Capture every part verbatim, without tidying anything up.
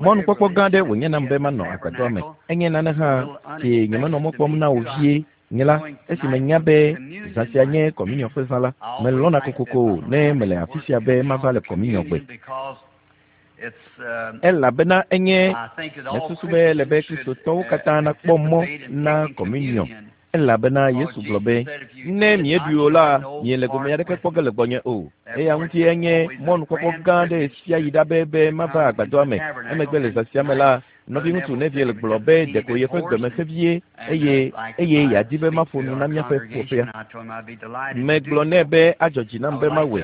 Mɔnukpɔkpɔ gã aɖe wònye nam be manɔ agbadɔa me. Enye nane hã si nyemenɔ mɔ kpɔm na wò vie. Nye la, esi menya be zã sia nye kɔminiɔ ƒe zã la, melɔ̃na kokoko ne mele afi sia be mava le kɔminiɔ gbe. Elabena enye mesusu be ele be Kristotɔwo katã nakpɔ mɔ na kɔminiɔ. Elabena Yesu gblɔ be, ne mieɖui o la, miele gome aɖeke kpɔ ge le gbɔnye o. Eya ŋuti enye mɔnukpɔkpɔ gã aɖe sia yi ɖa be be mava agbadɔa me. Emegbe le zã sia me la, nɔviŋutsu Neville gblɔ be ɖeko yeƒe gbeme sẽ vie eye eye yeadi be maƒo nu na míaƒe ƒuƒoƒea. Megblɔ nɛ be adzɔ dzi nam be mawɔe.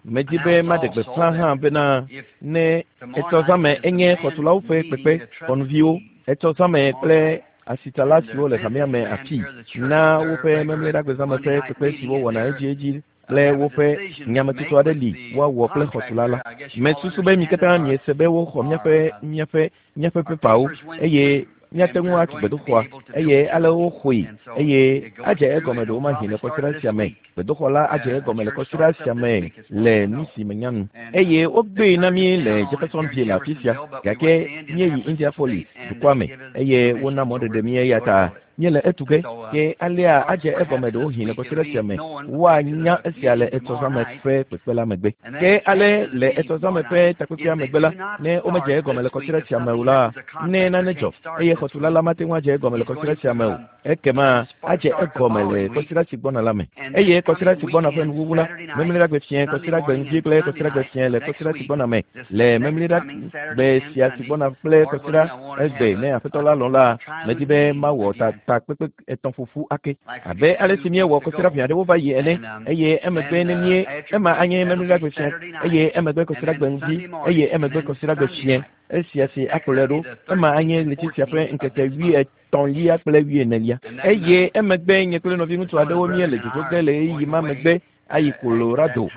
Medi be maɖe gbeƒã hã bena ne etsɔ zãme enye xɔtulawo ƒe kpekpe xɔnuviwo, etsɔ zãme kple asitsala siwo le hamea me afi na woƒe memleɖagbezãme ƒe kpekpe siwo wɔna edziedzi kple woƒe nyametsotso aɖe li woawɔ kple xɔtula la. Mesusu be mi katã miese be woxɔ míaƒe míaƒe míaƒe pepawo eye míate ŋu atu gbedoxɔa eye ale woxɔe eye adze egɔme ɖewomahi le kɔsiɖa sia me. Gbedoxɔ la adze egɔme le kɔsiɖa sia me le nu si menya nu. Eye wogbee na mí le Jeffersonville afi sia gake míeyi Indianapolis dukɔa me eye wona mɔɖeɖe mí eya ta míele etu ge ke alea adze egɔme ɖewohĩ le kɔsiɖa sia me. Woanya esia le etsɔzãme ƒe kpekpe la megbe. Ke ale le etsɔzãme ƒe takpekpea megbe la, ne womedze egɔme le kɔsiɖa sia me o la, ne nane dzɔ eye xɔtula la mate ŋu adze egɔme le kɔsiɖa sia me o, ekema adze egɔme le kɔsiɖa si gbɔna la me. Eye kɔsiɖa si gbɔna ƒe nuwuwu la, memleɖagbe fiẽ, kɔsiɖagbe ŋdi kple kɔsiɖagbe fiẽ le kɔsiɖa si gbɔna me. Le memleɖagbe sia si gbɔna kple kɔsiɖa egbe ne Aƒetɔ la lɔ̃ la, medi be mawɔ ta takpekpe etɔ̃ ƒoƒu ake abe ale si míewɔ kɔsiɖa ʋɛ aɖewo va yi ene. Eye emegbe ne mie ema anye memleɖagbe fiẽ, eye emegbe kɔsiɖagbe ŋdi, eye emegbe kɔsiɖagbe fiẽ. Esia si akplɔe ɖo, ema anye ɣleti sia ƒe ŋkeke wuietɔ̃lia kple wuienelia. Eye emegbe nye kple nɔviŋutsu aɖewo míele dzodzo ge le ɣeyiɣi ma megbe ayi Colorado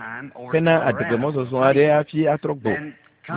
hena adegbe-mɔzɔzɔ aɖe hafi atrɔ gbɔ.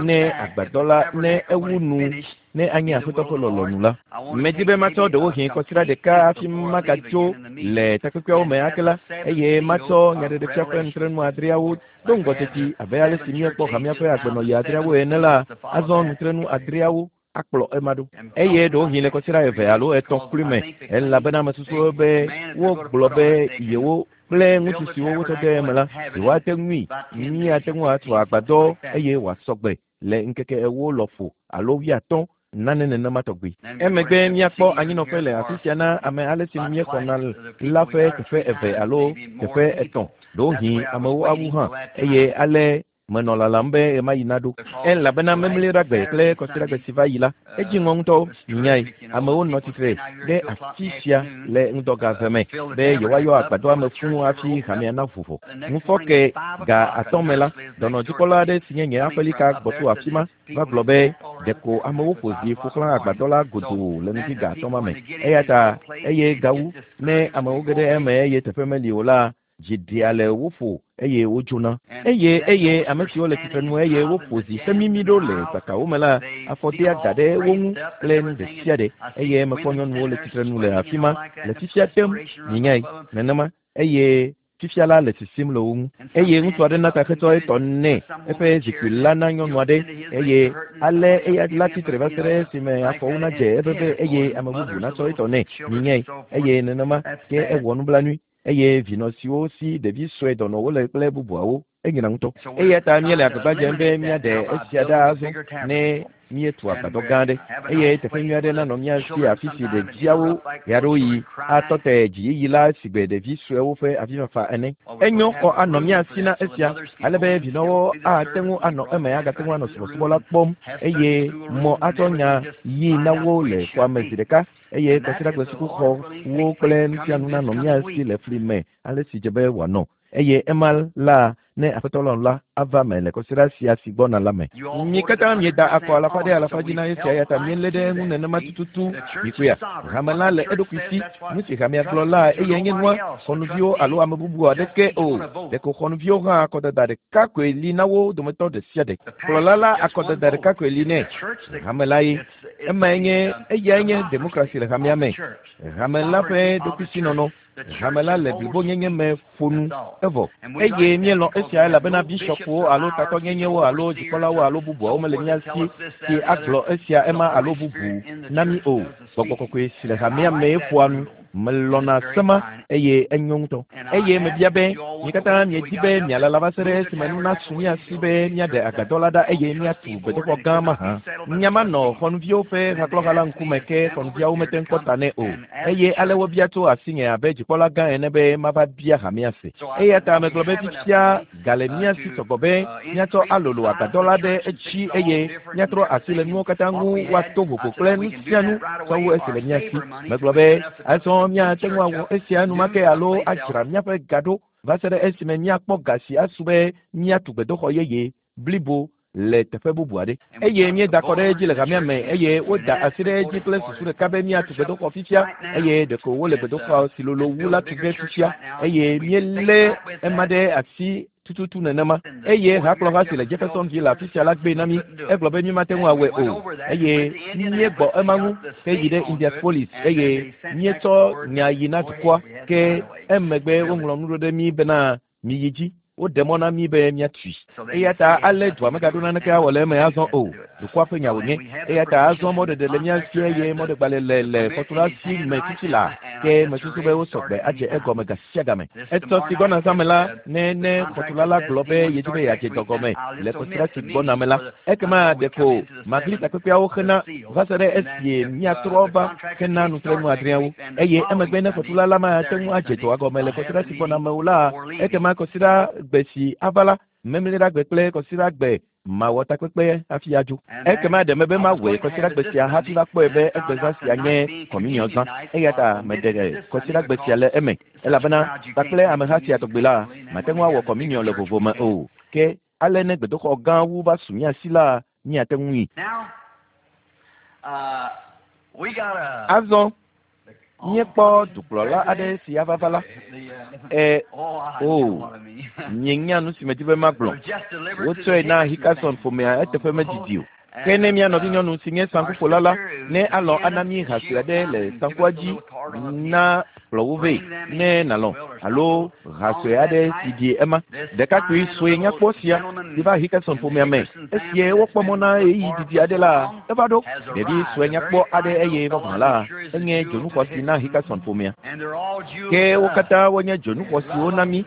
Ne agbadɔ la ne ewu nu ne anye Aƒetɔ ƒe lɔlɔ̃nu la. Medi be matsɔ ɖewohĩ kɔsiɖa ɖeka hafi magatso le takpekpeawo me ake la, eye matsɔ nyaɖeɖefia ƒe nutrenu adreawo do ŋgɔ teti abe ale si míekpɔ hamea ƒe agbenɔɣi adreawo ene la, azɔ nutrenu adreawo akplɔ ema ɖo. Eye ɖewohĩ le kɔsiɖa eve alo etɔ̃ kloe me, elabena mesusu be wogblɔ be yewo kple ŋutsu siwo wotsɔ de eme la, yewoate ŋui míate ŋu atu agbadɔ eye wòasɔ gbe le ŋkeke ewo lɔƒo alo wuiatɔ̃ nane nenema tɔgbi. Emegbe míakpɔ anyinɔƒe le afi sia na ame ale si míexɔna la ƒe teƒe eve alo teƒe etɔ̃. Ɖewohĩ amewo awu hã eye ale menɔ lalam be ɣemaɣi naɖo. Elabena memleɖagbe kple kɔsiɖagbe si va yi la, edzi ŋɔ ŋutɔ nyae. Amewo nɔ tsitre ɖe afi sia le ŋdɔga eve me be yewoayɔ agbadɔa me fũu hafi hamea naʋu ʋɔ. Ŋufɔke ga atɔ̃ me la, dɔnɔdzikpɔla aɖe si nye nye aƒelika gbɔ tso afi ma va gblɔ be ɖeko amewo ƒo zi ƒo xlã agbadɔ la godoo le ŋdi ga atɔ̃ ma me. Eya ta eye gawu ne amewo ge ɖe eme eye teƒe meli o la, dzi ɖea le wo ƒo eye wodzona. Eye eye ame siwo le tsitrenu eye woƒo zi hemimi ɖo le tsakawo me la, afɔ dea ga ɖe wo ŋu kple nu ɖe sia ɖe. Eye mekpɔ nyɔnuwo le tsitrenu le afi ma le fifia tem mienyae nenema eye fifia la le sisim le wo ŋu. Eye ŋutsu aɖe na taxetsɔ etɔ nɛ eƒe zikpui la na nyɔnu aɖe eye ale eya la tsitre va se ɖe esime afɔwo nadze eveve eye ame bubu natsɔ etɔ nɛ mienyae eye nenema ke ewɔ nublanui. Eye vinɔ siwo si ɖevi sue dɔnɔwo le kple bubuawo enyina ŋutɔ. Eya ta míele agbagba dzem be míaɖe esia ɖa azɔ ne míetu agbadɔ gã aɖe eye teƒe nyui aɖe nanɔ mía si afi si ɖeviawo ɣeaɖewoɣi atɔ te dziyiyi la sigbe ɖevi suewo ƒe avifafa ene. Enyo xɔ anɔ mía si na esia ale be vinɔwo ate ŋu anɔ eme agate ŋu anɔ subɔsubɔ la kpɔm eye mɔ atsɔ nya yi na wo le xɔa me zi ɖeka eye kɔsiɖagbe sukuxɔwo kple nu sia nu nanɔ mía si le fli me ale si dze be wòanɔ. Eye ema la ne Aƒetɔ lɔ̃ la ava me le kɔsiɖa sia si gbɔna la me. Mi katã mieda akɔ alafa ɖe alafa dzi na esia eya ta míelé ɖe eŋu nenema tututu. Mikpɔea, hame la le eɖokui si. Nu si hamea gblɔ la eyae nye nua, xɔnuviwo alo ame bubu aɖeke o. Ɖeko xɔnuviwo hã akɔdada ɖeka koe li na wo dometɔ ɖe sia ɖe. Kplɔla la akɔdada ɖeka koe li nɛ. Hame la ye. Emae nye eyae nye demokrasi le hamea me. Hame la ƒe ɖokuisinɔnɔ. Hame la le blibonyenye me ƒo nu evɔ eye míelɔ̃ esia elabena bishɔpwo alo tatɔnyenyewo alo dzikpɔlawo alo bubuawo mele mía si si agblɔ esia ema alo bubu na mí o. Gbɔgbɔ kɔkɔe si le hamea mee ƒoa nu. Melɔ̃na sema eye enyo ŋutɔ. Eye mebia be mi katã miedi be mialala va se ɖe esime nu nasu mía si be míaɖe agbadɔ la ɖa eye míatu gbedoxɔ gã mahã. Nya ma nɔ xɔnuviwo ƒe hakplɔha la ŋkume ke xɔnuviawo mete ŋu kpɔ ta nɛ o. Eye ale wobia tso asinye abe dzikpɔla gã ene be mava bia hamea se. Eya ta megblɔ be fifia gale mía si sɔgbɔ be míatsɔ alolo agbadɔ la ɖe edzi eye míatrɔ asi le nuwo katã ŋu woato vovo kple nu sia nu sɔwu esi le mía si. Megblɔ be azɔ míate ŋu awɔ esia enumake alo adzra míaƒe ga ɖo va se ɖe esime míakpɔ ga si asu be míatu gbedoxɔ yeye blibo le teƒe bubu aɖe. Eye míeda kɔ ɖe edzi le hamea me eye woda asi ɖe edzi kple susu ɖeka be míatu gbedoxɔ fifia eye ɖeko wole gbedoxɔ si lolo wu la tu ge fifia eye míelé ema ɖe asi tututu nenema. Eye hakplɔha si le Jeffersonville le afi sia la gbe na mí. Egblɔ be mímate ŋu awɔe o. Eye míegbɔ ema ŋu heyi ɖe Indianapolis eye míetsɔ nya yi na dukɔa ke emegbe woŋlɔ nu ɖo ɖe mí bena miyi dzi. Woɖe mɔ na mí be míatui. Eya ta ale dua megaɖo naneke awɔ le eme azɔ o. Dukɔa ƒe nya wònye. Eya ta azɔ mɔɖeɖe le mía si eye mɔɖegbalẽ le le xɔtula si me fifi laa ke mesusu be wosɔ gbe adze egɔme ga sia game. Etsɔ si gbɔna zãme la ne ne xɔtula la gblɔ be yedi be yeadze dɔ gɔme le kɔsiɖa si gbɔna me la ekema ɖeko magli takpekpeawo xena va se ɖe esie míatrɔ va xena nutrenu adreawo eye emegbe ne xɔtula la mate ŋu adze dɔa gɔme le kɔsiɖa si gbɔna me o la ekema kɔsiɖa gbe si ava la memleɖagbe kple kɔsiɖagbe mawɔ takpekpe hafi adzo. Ekema ɖe mebe mawɔe kɔsiɖagbe sia hafi va kpɔe be egbezã sia nye kɔminiɔ zã. Eya ta meɖe kɔsiɖagbe sia le eme elabena kpakple ameha sia tɔgbi la mate ŋu awɔ kɔminiɔ le vovo me o. Ke ale ne gbedoxɔ gã wu va su mía si la míate ŋui. Azɔ míekpɔ dukplɔla aɖe si ava va la. E o mienya nu si medi be magblɔ. Wotsɔe na Hickerson ƒomea eteƒe medidi o. Ke ne mía nɔvinyɔnu si nye saŋkuƒola la ne alɔ̃ ana mí ha sue aɖe le saŋkua dzi na kplɔ wo vɛ ne nalɔ̃ alo ha sue aɖe si ɖi ema. Ɖekakpui sue nyakpɔ sia si va Hickerson ƒomea me esie wokpɔ mɔ na ɣeyiɣi didi aɖe la eva ɖo. Ɖevi sue nyakpɔ aɖe eye vavã la enye dzonuxɔasi na Hickerson ƒomea. Ke wo katã wonye dzonuxɔasiwo na mí.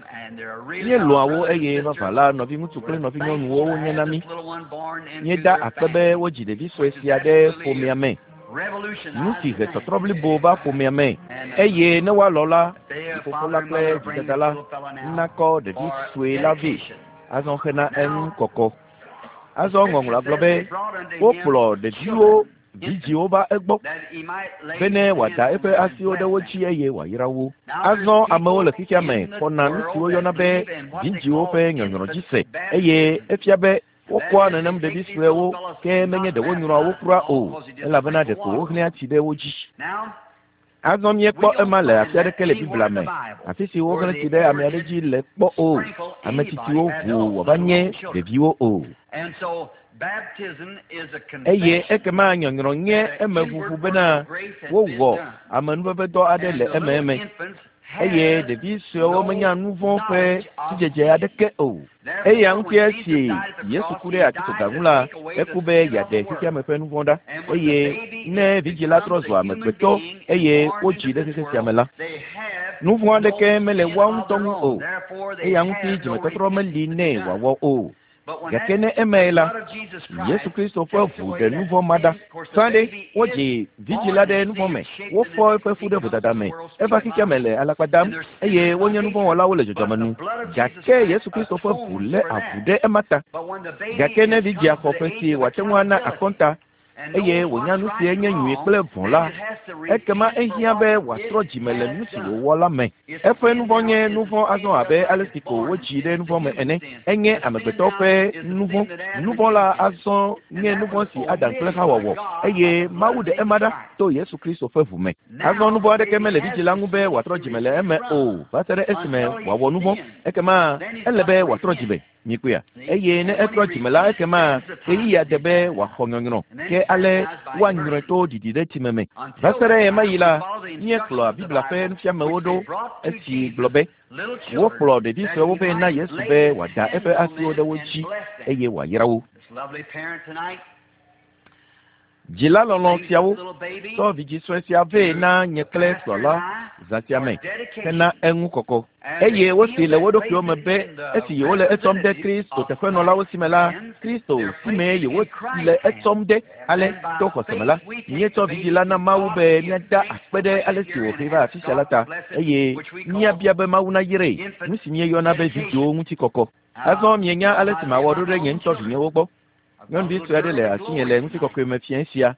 Míelɔ̃a wo eye vavã la nɔviŋutsu kple nɔvinyɔnuwo wonye na mí. Míeda akpe be wodzi ɖevi sue sia ɖe ƒomea me. Nu si he tɔtrɔ blibo va ƒomea me eye ne woalɔ̃ la vifofo la kple vidada la nakɔ ɖevi sue la vɛ azɔ xena eŋu kɔkɔ. Azɔ ŋɔŋlɔa gblɔ be wokplɔ ɖeviwo vidziwo va egbɔ bene wòada eƒe asiwo ɖe wo dzi eye wòayra wo. Azɔ amewo le xexea me xɔna nu si woyɔna be vidziwo ƒe nyɔnyrɔ dzi se eye efia be wokɔa nenem ɖevi suewo ke menye ɖe wonyrɔa wo kura o elabena ɖeko wohlẽa tsi ɖe wo dzi. Azɔ míekpɔ ema le afi aɖeke le Biblia me afi si wohlẽ tsi ɖe ame aɖe dzi le kpɔ o. Ame tsitsiwo ʋu wòava nye ɖeviwo o. Eye ekema nyɔnyrɔ nye emeʋuʋu bena wowɔ amenuvevedɔ aɖe le ememe eye ɖevi suewo menya nu vɔ̃ ƒe sidzedze aɖeke o. Eya ŋuti esi Yesu ku ɖe atitsoga ŋu la eku be yeaɖe xexeame ƒe nu vɔ̃ ɖa eye ne vidzi la trɔ zu amegbetɔ eye wodzi ɖe xexe sia me la nu vɔ̃ aɖeke mele woa ŋutɔ ŋu o. Eya ŋuti dzimetɔtrɔ meli nɛ wòawɔ o. Gake ne emae la Yesu Kristo ƒe ʋu ɖe nu vɔ̃ ma ɖa. Sã ɖe wodzi vidzi la ɖe nu vɔ̃ me, wofɔ eƒe fu ɖe vodada me, eva xexea me le alakpa dam eye wonye nu vɔ̃ wɔlawo le dzɔdzɔme nu. Gake Yesu Kristo ƒe ʋu lé avu ɖe ema ta. Gake ne vidzia xɔ ƒe si wòate ŋu ana akɔnta eye wònya nu si nye nyui kple vɔ̃ la, ekema ehiã be wòatrɔ dzime le nu si wòwɔ la me. Eƒe nu vɔ̃ nye nu vɔ̃ azɔ abe ale si ko wodzi ɖe nu vɔ̃ me ene. Enye amegbetɔ ƒe nu vɔ̃. Nu vɔ̃ la azɔ nye nu vɔ̃ si Adam kple Xawa wɔ eye Mawu ɖe ema ɖa to Yesu Kristo ƒe ʋu me. Azɔ nu vɔ̃ aɖeke mele vidzi la ŋu be wòatrɔ dzime le eme o va se ɖe esime wòawɔ nu vɔ̃. Ekema ele be wòatrɔ dzime. Mikpɔea? Eye ne etrɔ dzime la ekema ɣeyiɣia de be wòaxɔ nyɔnyrɔ. Ke ale woanyrɔe to ɖiɖi ɖe tsime me. Va se ɖe ɣemaɣi la, míekplɔa Biblia ƒe nufiamewo ɖo esi gblɔ be wokplɔ ɖevi suewo vɛ na Yesu be wòada eƒe asiwo ɖe wo dzi eye wòayra wo. Dzila lɔlɔ̃ siawo tsɔ vidzĩ sue sia vɛ na nye kple kplɔla zã sia me hena eŋu kɔkɔ. Eye wosi le wo ɖokuiwo me be esi yewole etsɔm ɖe Kristo teƒenɔlawo si me la, Kristo si mee yewole etsɔm ɖe. Ale to xɔse me la, míetsɔ vidzĩ la na Mawu be míada akpe ɖe ale si wòhee va afi sia la ta, eye míabia be Mawu nayrae, nu si míeyɔna be vidzĩwo ŋuti kɔkɔ. Azɔ mienya ale si mawɔ ɖo ɖe nye ŋutɔ vinyewo gbɔ. Nyɔnuvi sue aɖe le asinye le ŋutikɔkɔe me fiẽ sia,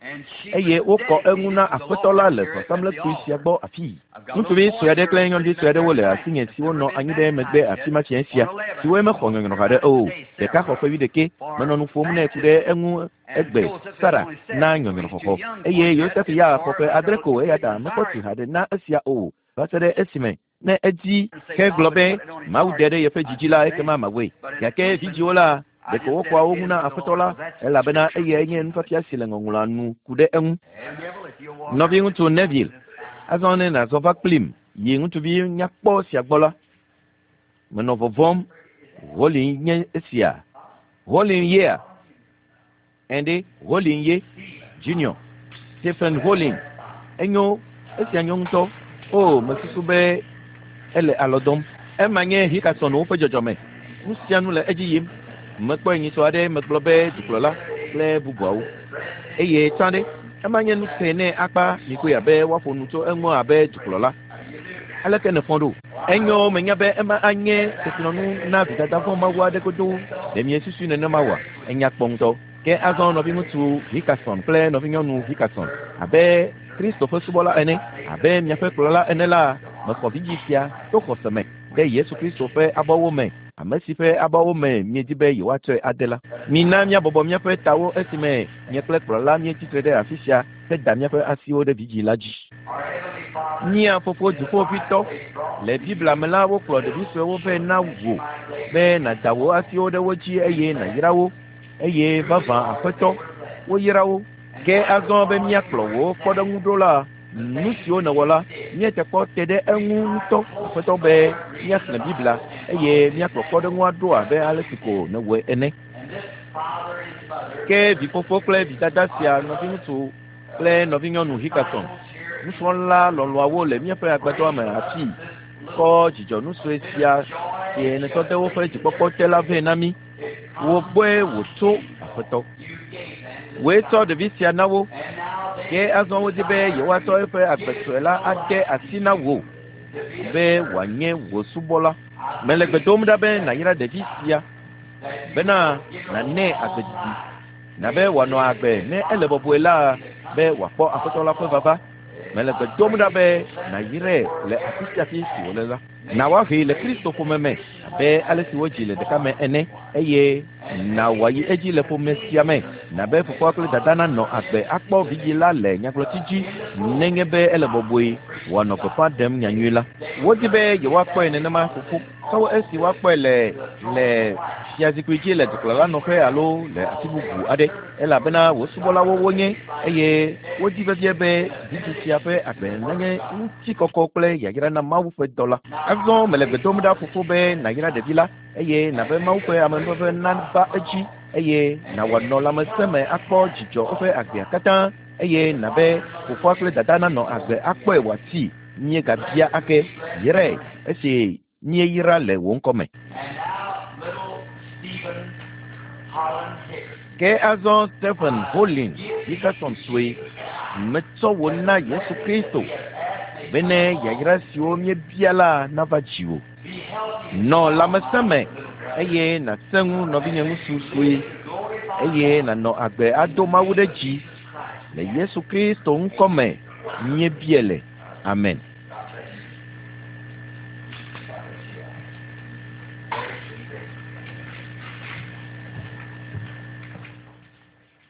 eye wokɔ eŋu na Aƒetɔ la le vɔsamlekpui sia gbɔ afii. Ŋutsuvi sue aɖe kple nyɔnuvi sue aɖewo le asinye siwo nɔ anyi ɖe megbe afi ma fiẽ sia, siwoe mexɔ nyɔnyrɔ haɖe o. Ɖeka xɔ ƒe wuiɖekɛ, menɔ nu ƒom nɛ ku ɖe eŋu egbe Sara na nyɔnyrɔxɔxɔ, eye Yosef ya xɔ ƒe adre ko, eya ta mekpɔ tsi haɖe na esia o va se ɖe esime ne edzi ke gblɔ be Mawu de ɖe yeƒe dzidzi la, ekema mawɔe. Gake vidzĩwo la, ɖeko wokɔa wo ŋu na Aƒetɔ la, elabena eyae nye nufiafia si le ŋɔŋlɔa nu ku ɖe eŋu. Nɔviŋutsu Neville, azɔ ne nàzɔ va kplim yi ŋutsuvi nyakpɔ sia gbɔ la, menɔ vɔvɔ̃m. Holin nye esia. Holin yea? Ɛnde Holin ye Junior. Stephen Holin. Enyo, esia nyo ŋutɔ. O, mesusu be ele alɔ dɔm. Ema nye Hickersonwo ƒe dzɔdzɔme. Nu sia nu le edzi yim. Mekpɔe nyitsɔ aɖe megblɔ be dukplɔla kple bubuawo. Eye tsã ɖe, ema nye nu te nɛ akpa mikoe abe woaƒo nu tso eŋu abe dukplɔla. Aleke nèfɔ ɖo? Enyo, menya be ema anye kesinɔnu na vidada vɔ̃ Mawu aɖe godoo. Ɖe miesusui nenema oa? Enya kpɔ ŋutɔ. Ke azɔ nɔviŋutsu Hickerson kple nɔvinyɔnu Hickerson, abe Kristo ƒe subɔla ene, abe miaƒe kplɔla ene la, mexɔ vidzĩ sia to xɔse me ɖe Yesu Kristo ƒe abɔwo me, ame si ƒe abɔwo me miedi be yewoatsɔe ade la. Mina míabɔbɔ míaƒe tawo esime nye kple kplɔla míetsitre ɖe afi sia heda míaƒe asiwo ɖe vidzĩ la dzi. Mía fofo dziƒoʋĩtɔ, le Biblia me la, wokplɔ ɖevi suewo vɛ na wò be nàda wò asiwo ɖe wo dzi eye nàyra wo, eye vavã Aƒetɔ, woyra wo. Ke azɔ be míakplɔ wò kpɔɖeŋu ɖo la, nu siwo nèwɔ la, míete kpɔ te ɖe eŋu ŋutɔ, Aƒetɔ, be míaxlẽ Biblia eye míakplɔ kpɔɖeŋua ɖo abe ale si ko nèwɔe ene. Ke vifofo kple vidada sia, nɔviŋutsu kple nɔvinyɔnu Hickerson, nusrɔ̃la lɔlɔ̃awo le míaƒe agbadɔa me afii, kɔ dzidzɔnu sue sia si nètsɔ de woƒe dzikpɔkpɔ te la vɛ na mí. Wò gbɔe wòtso, Aƒetɔ. Wòe tsɔ ɖevi sia na wo. Ke azɔ wodi be yewoatsɔ eƒe agbe sue la ade asi na wò be wòanye wò subɔla. Mele gbe dom ɖa be nàyra ɖevi sia bena nànɛ agbe didi, nabe wòanɔ agbe ne ele bɔbɔe la be wòakpɔ Aƒetɔ la ƒe vava. Mele gbe dom ɖa be nàyrae le afi sia afi si wòle la. Na woahee le Kristo ƒome me abe ale si wodzi le ɖeka me ene, eye na wòayi edzi le ƒome sia me, nabe fofoa kple dada nanɔ agbe akpɔ vidzĩ la le nyagblɔtsi dzi nenye be ele bɔbɔe wòanɔ gbeƒã ɖem nyanyui la. Wodi be yewoakpɔe nenema fofo, ke esi woakpɔe le le fiazikpui dzi le dukplɔla nɔƒe alo le afi bubu aɖe, elabena wò subɔlawo wonye, eye wodi vevie be vidzĩ sia ƒe agbe nanye ŋutikɔkɔ kple yayra na Mawu ƒe dɔ la. Azɔ mele gbe dom ɖa fofo be nàyra ɖevi la, eye nàbe Mawu ƒe amenuveve nava edzi, eye nàwɔ nɔ lãmesẽ me akpɔ dzidzɔ eƒe agbea katã, eye nàbe fofoa kple dada nanɔ agbe akpɔe wòatsi. Míegabia ake, yrae esi míeyra le wò ŋkɔ me. Ke azɔ Stephen Holin Hickerson sue, metsɔ wò na Yesu Kristo bene yayra siwo míebia la nava dziwò. Nɔ lãmesẽ me eye nàsẽ ŋu nɔvinye ŋutsu sue, eye nànɔ agbe ado Mawu ɖe dzi le Yesu Kristo ŋkɔ me míebia le. Amen.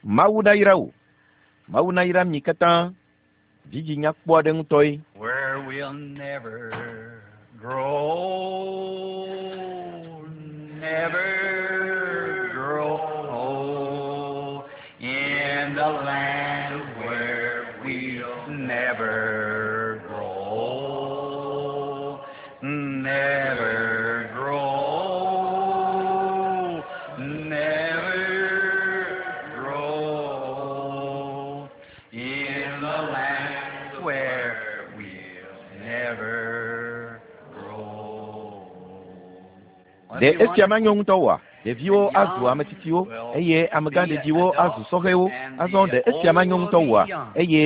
Mawu nayra wò. Mawu nayra mi katã. Vidzĩ nyakpɔ aɖe ŋutɔe. Where we'll never grow, never grow old in In the land where we'll never grow, never grow, never grow. In the land where we'll never grow. Ɖe esia manyo ŋutɔ oa? Ɖeviwo azu ame tsitsiwo eye amegãɖeɖiwo azu sɔhɛwo. Azɔ ɖe esia manyo ŋutɔ oa? Eye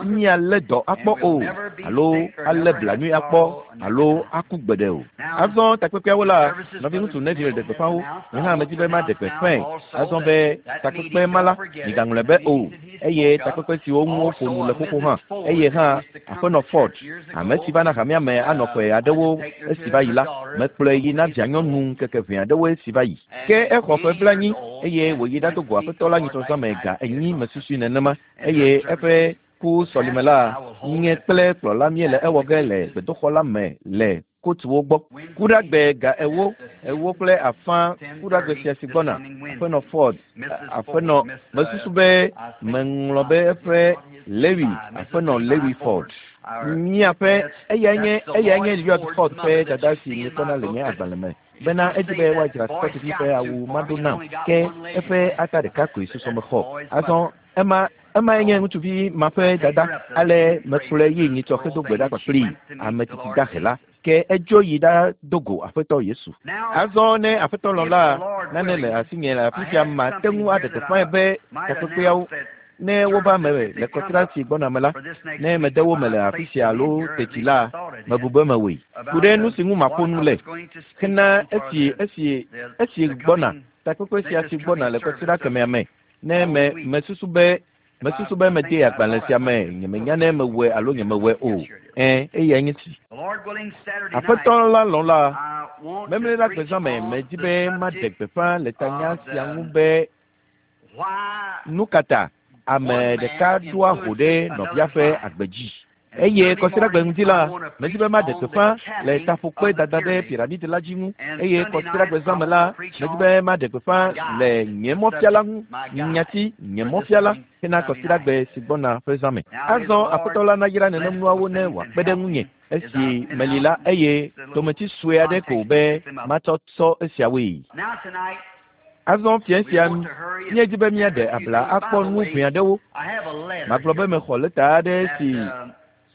míalé dɔ akpɔ o, alo alé blanui akpɔ, alo aku gbeɖe o. Azɔ takpekpeawo la, nɔviŋutsu Neville ɖe gbeƒã wo. Nye hã medi be maɖe gbeƒãe. Azɔ be takpekpe ma la, migaŋlɔe be o. Eye takpekpe siwo ŋu woƒo nu le xoxo hã. Eye hã aƒenɔ Ford, ame si va na hamea me anɔ ƒe aɖewo esi va yi la, mekplɔe yi na vianyɔnu ŋkeke ʋɛ aɖewo esi va yi. Ke exɔ ƒe blaenyi eye wòyi ɖado go aƒetɔ la nyitsɔzãme ga enyi mesusui nenema eye eƒe ku sɔlime la nye kple kplɔla míele ewɔ ge le gbedoxɔ la me le kotuwo gbɔ. Kuɖagbe ga ewo, ewo kple afã kuɖagbe sia si gbɔna. Aƒenɔ Ford, aƒenɔ mesusu be meŋlɔ be eƒe Lewi, aƒenɔ Lewi Ford. Míaƒe eyae nye eyae nye Lloyd Ford ƒe dada si miekpɔna le nye agbalẽ me. Bena edzi be woadzra Scottivi ƒe awu maɖo nam ke eƒe ata ɖeka koe susɔ mexɔ. Azɔ ema emae nye ŋutsuvi ma ƒe dada ale mekplɔe yi nyitsɔ hedo gbe ɖa kpakplii ame tsitsi dahe la ke edzo yi ɖado go aƒetɔ Yesu. Azɔ ne aƒetɔ lɔ̃ la nane le asinye le afi sia mate ŋu aɖe gbeƒãe be takpekpeawo ne wova me le kɔsiɖa si gbɔna me la, ne mede wo me le afi sia alo teti la, mebu be mewɔe. Ku ɖe nu si ŋu maƒo nu le hena esi esi esi gbɔna takpekpe sia si gbɔna le kɔsiɖa kemɛa me. Ne me mesusu be mesusu be mede agbalẽ sia me nyemenya ne mewɔe alo nyemewɔe o. Ẽ eyae nye si. Aƒetɔ la lɔ̃ la, memleɖa gbezãme medi be maɖe gbeƒã le tanya sia ŋu be nu ka ta ame ɖeka ɖoa ho ɖe nɔvia ƒe agbe dzi. Eye kɔsiɖagbe ŋdi la, medi be maɖe gbeƒã le taƒokpe dada ɖe piramidi la dzi ŋu. Eye kɔsiɖagbe zãme la, medi be maɖe gbeƒã le nye mɔfiala ŋu, nyati nye mɔfiala hena kɔsiɖagbe si gbɔna ƒe zãme. Azɔ aƒetɔ la nayra nenem nuawo ne wòakpe ɖe ŋunye esi meli la eye tometsi sue aɖe ko be matsɔ tsɔ esiawoe. Azɔ fia sia míedzi be míaɖe abla akpɔ nu ʋɛ aɖewo. Magblɔ be mexɔ lɛta aɖe si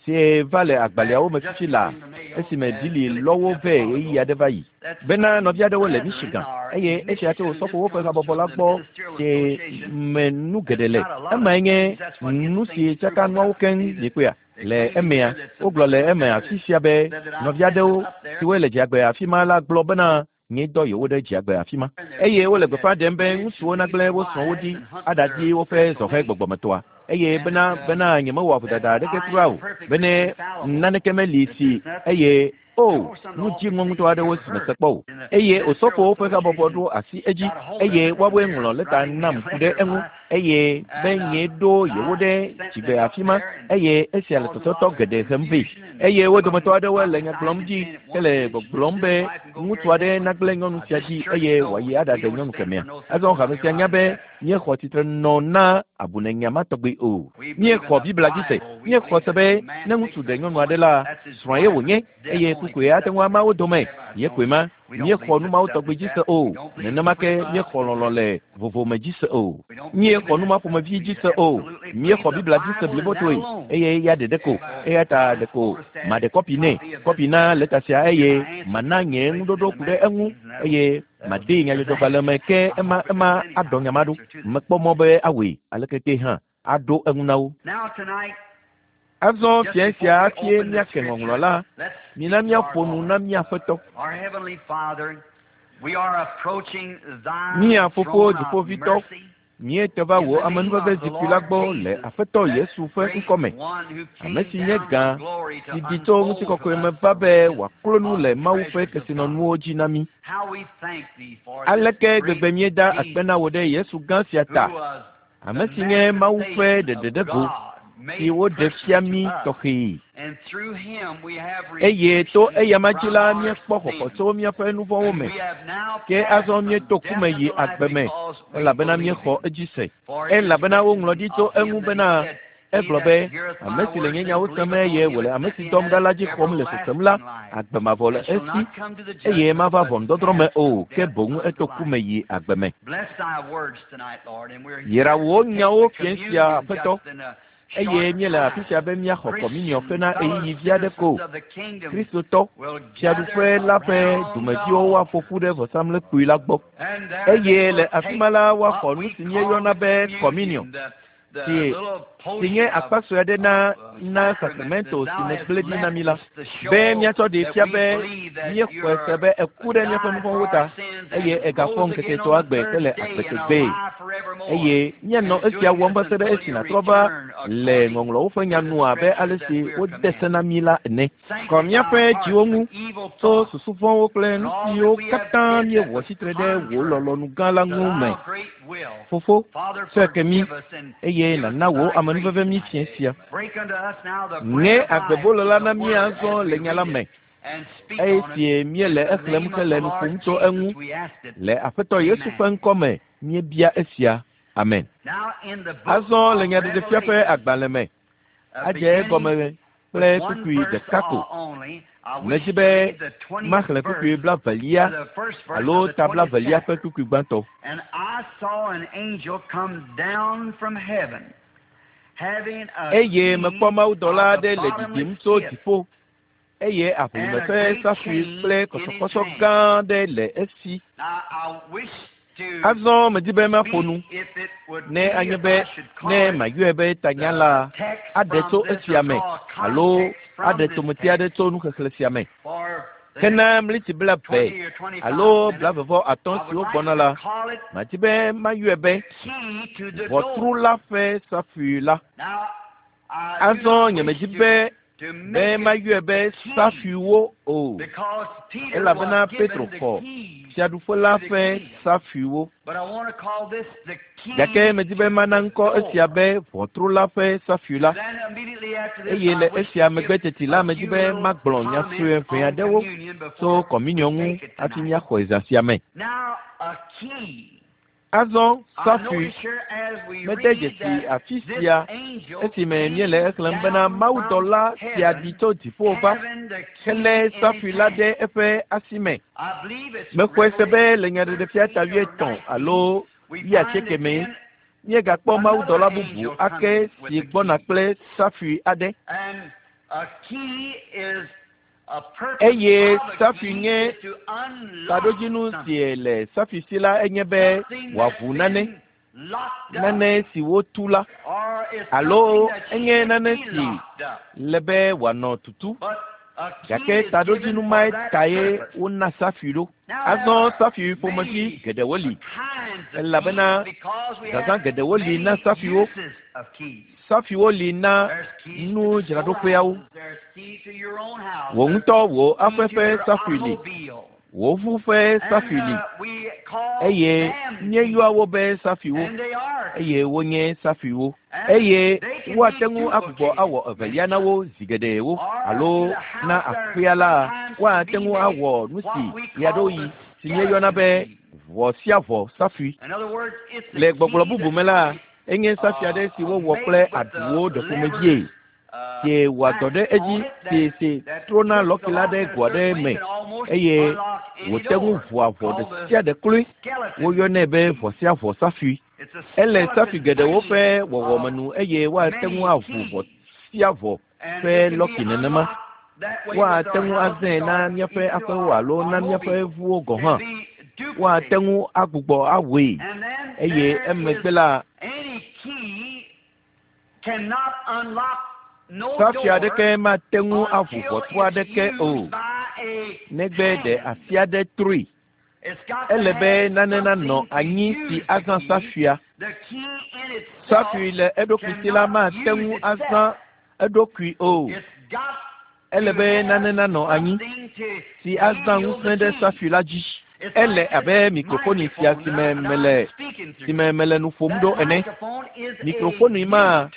si va le agbalẽawo me fifi la esime Billy lɔ wo vɛ ɣeyiɣi aɖe va yi. Bena nɔvi aɖewo le Michigan eye esia tso osɔfowo ƒe habɔbɔ la gbɔ si me nu geɖe le. Emae nye nu si tsaka nuawo keŋ miekpɔea. Le emea, wogblɔ le eme afi sia be nɔvi aɖewo siwoe le dziagbe afi ma la gblɔ bena nye dɔ yewo ɖe dziagbe afi ma. Eye wole gbeƒã ɖem be ŋutsuwo nagblẽ wo srɔ̃wo ɖi aɖadi woƒe zɔhɛ gbɔgbɔmetɔa. Eye bena bena nyemewɔ vodada aɖeke kura o. Bene naneke meli si eye o nu dziŋɔ ŋutɔ aɖewo si mese kpɔ o. Eye osɔfowo ƒe habɔbɔ ɖo asi edzi eye woawoe ŋlɔ lɛta nam ku ɖe eŋu eye be nye ɖo yewo ɖe dzigbe afi ma eye esia le tɔtɔtɔ geɖe hem vɛ. Eye wo dometɔ aɖewo le nya gblɔm dzi hele gbɔgblɔm be ŋutsu aɖe nagblẽ nyɔnu sia dzi eye wòayi aɖaɖe nyɔnu kemɛa. Azɔ hame sia nya be míexɔ tsitre nɔ na abunenya ma tɔgbi o. Míexɔ Biblia dzi se. Míexɔ se be ne ŋutsu ɖe nyɔnu aɖe la, srɔ̃a ye wònye eye kukoe ate ŋu ama wo dome. Ye koe ma. Míexɔ nu mawo tɔgbi dzi se o. Nenema ke míexɔ lɔlɔ̃ le vovome dzi se o. Míexɔ nu ma ƒomevi dzi se o. Míexɔ Biblia dzi se blibotoe eye ya ɖeɖe ko. Eya ta ɖeko maɖe kɔpi nɛ, kɔpi na lɛta sia eye mana nye ŋuɖoɖo ku ɖe eŋu eye madee nyadzɔdzɔgbalẽ me ke ema ema aɖɔ nya ma ɖo. Mekpɔ mɔ be awɔe aleke ke hã aɖo eŋu na wo. Azɔ fia sia hafi míake ŋɔŋlɔ la, mina míaƒo nu na mía Aƒetɔ. Mía Fofo Dziƒoʋĩtɔ, míete va wò amenuveve zikpui la gbɔ le Aƒetɔ Yesu ƒe ŋkɔme, ame si nye gã si ɖi tso ŋutikɔkɔe me va be wòaklo nu le Mawu ƒe kesinɔnuwo dzi na mí. Aleke gbegbe míeda akpe na wò ɖe Yesu gã sia ta, ame si nye Mawu ƒe ɖeɖeɖego, si woɖe fia mí tɔxɛ. Eye to eyama dzi la míekpɔ xɔxɔ tso míaƒe nu vɔ̃wo me. Ke azɔ míeto ku me yi agbe me, elabena míexɔ edzi se. Elabena woŋlɔ ɖi tso eŋu bena egblɔ be, ame si le nye nyawo sem eye wòle ame si dɔm ɖa la dzi xɔm le sesem la, agbe mavɔ le esi, eye mava ʋɔnudɔdrɔ̃ me o, ke boŋ eto ku me yi agbe me. Yra wò nyawo fiẽ sia, Aƒetɔ, eye míele afi sia be míaxɔ kɔminiɔ hena ɣeyiɣi vi aɖe ko. Kristotɔ, fiaɖuƒe la ƒe dumeviwo woaƒo ƒu ɖe vɔsamlekpui la gbɔ. Eye le afi ma la woaxɔ nu si míeyɔna be kɔminiɔ, si si nye akpa sue aɖe na na sakramento si nègblẽ ɖi na mí la, be míatsɔ ɖee fia be míexɔe se be eku ɖe míaƒe nu vɔ̃wo ta, eye egafɔ ŋkeke etɔ̃a gbe hele agbe tegbee. Eye míanɔ esia wɔm va se ɖe esi nàtrɔ va le ŋɔŋlɔwo ƒe nya nu abe ale si wode se na mí la ene. Kɔ míaƒe dziwo ŋu tso susu vɔ̃wo kple nu siwo katã míewɔ tsitre ɖe wò lɔlɔ̃nu gã la ŋu me. Fofo, tsɔe ke mí, eye nàna wò amenuveve mí fiẽ sia. Ŋe agbebolo la na mí azɔ le nya la me, eye sie míele exlẽm hele nu ƒom tso eŋu. Le Aƒetɔ Yesu ƒe ŋkɔ me míebia esia. Amen. Azɔ le Nyaɖeɖefia ƒe agbalẽ me, adze egɔme kple kpukpui ɖeka ko. Medi be maxlẽ kpukpui blavelia alo ta blavelia ƒe kpukpui gbãtɔ. And I saw an angel come down from heaven, having a Eye mekpɔ mawudɔla of the aɖe le ɖiɖim bottomless tso pit dziƒo, eye aʋlime ƒe safui kple kɔsɔkɔsɔ gã aɖe le esi. Now I wish to Azɔ medi be maƒo nu, speak if it would ne be anye if be I should call ne it mayɔe be tanya la the text aɖe from tso this esia or me draw a alo context from aɖe this tometi aɖe text tso nuxexlẽ sia me. for the Ke na next mliti blaeve twenty or twenty-five alo minutes. blavevɔ atɔ̃ I would siwo like gbɔna to la, call it madi be mayɔe be key to the ʋɔtru door. la ƒe safui la. Now, I do Azɔ not wish nyemedi to, be to be make it mayɔe be the key safuiwo o, because Peter elabena was given Petro the xɔ keys fiaɖuƒe la to the ƒe kingdom. safuiwo. But I want to call this the key Gake medi be to mana the ŋkɔ esia door. be ʋɔtru la ƒe safui la. And then immediately after this, Eye I le wish esia to megbe give teti la a medi few be little magblɔ nya sue comments ʋɛ on aɖewo communion tso before kɔminiɔ we ŋu take it hafi tonight. míaxɔe zã sia me. Now, a key. Azɔ I safui notice here as we mede read dzesi that afi this sia angel esime came míele exlẽm bena down from mawudɔla sia ɖi heaven, tso dziƒo va having the helé key in safui his la hand. ɖe eƒe asi me. I believe it's Mexɔe se be le Revelation Nyaɖeɖefia ta thirteen or wuietɔ̃ nineteen. alo We find wuiasieke mee again míegakpɔ another mawudɔla bubu angel ake coming with si the gbɔna key. kple safui aɖe. And a key is a purpose Eye of a safui key nye is to unlock taɖodzinu something. si le safui si la enye be Something that's wòaʋu nane, been locked up nane si wotu la or is alo something that enye should nane be si locked up. le be wòanɔ tutu. But a key Gake is given taɖodzinu for mae that tae purpose. wona safui ɖo. Now there Azɔ are safui ƒomevi many geɖewo li kinds of keys elabena because we zazã have geɖewo li na many safuiwo. uses of keys. Safuiwo li na There's keys to the nudzraɖoƒeawo. storehouses, there's key to your own house, Wò there's ŋutɔ wò key aƒe to ƒe your safui li, automobile. wò ʋu ƒe And safui li uh, we call eye them keys. míeyɔa wo be safuiwo And they are eye keys. wonye safuiwo. And Eye they can be woate ŋu agbugbɔ duplicated awɔ many evelia na times. wo zi geɖewo Or to alo the na house there aƒea la sometimes can woate be ŋu made awɔ nu si what we call ɣeaɖewoɣi the si míeyɔna skeleton be key. ʋɔ sia ʋɔ safui. In other words, it's the Le gbɔgblɔ key bubu that's me la, enye safui uh, aɖe si wowɔ made kple with the aɖuwo ɖe ƒomevie levers uh, si wɔa dɔ ɖe latch edzi on it si that, si that trona twists the lɔki la lock ɖe in a go aɖe certain way me can almost eye unlock any wòte ŋu door, ʋua ʋɔ ɖe called the sia ɖe kloe. skeleton Woyɔnɛ be key. ʋɔ sia ʋɔ safui. It's a Ele safui skeleton geɖewo ƒe frame wɔwɔme of nu eye woate ŋu many aʋu ʋɔ keys. sia ʋɔ And ƒe it can be lɔki nenema. unlocked that way with Woate our ŋu houses azãe na or míaƒe even to aƒewo our alo na míaƒe automobiles. ʋuwo gɔ̃ Can hã. be Woate duplicated. ŋu agbugbɔ awɔe And then eye there emegbe is la any key cannot unlock no safui door aɖeke mate ŋu aʋu until ʋɔtru it's aɖeke o used by a negbe ɖe hand. asi aɖe trui. It's got to Ele be have nane nanɔ something to anyi si use the azã key. safuia. The key in itself Safui le eɖokui si la cannot mate use ŋu azã itself. eɖokui o. It's got Ele to be have nane nanɔ anyi something to si azã yield ŋusẽ the ɖe key. safui la dzi. It's Ele like this abe mikrofoni sia microphone si that, me I, that mele I'm speaking si through. me mele nu ƒom That ɖo ene. microphone is a Mikrofoni ma gift.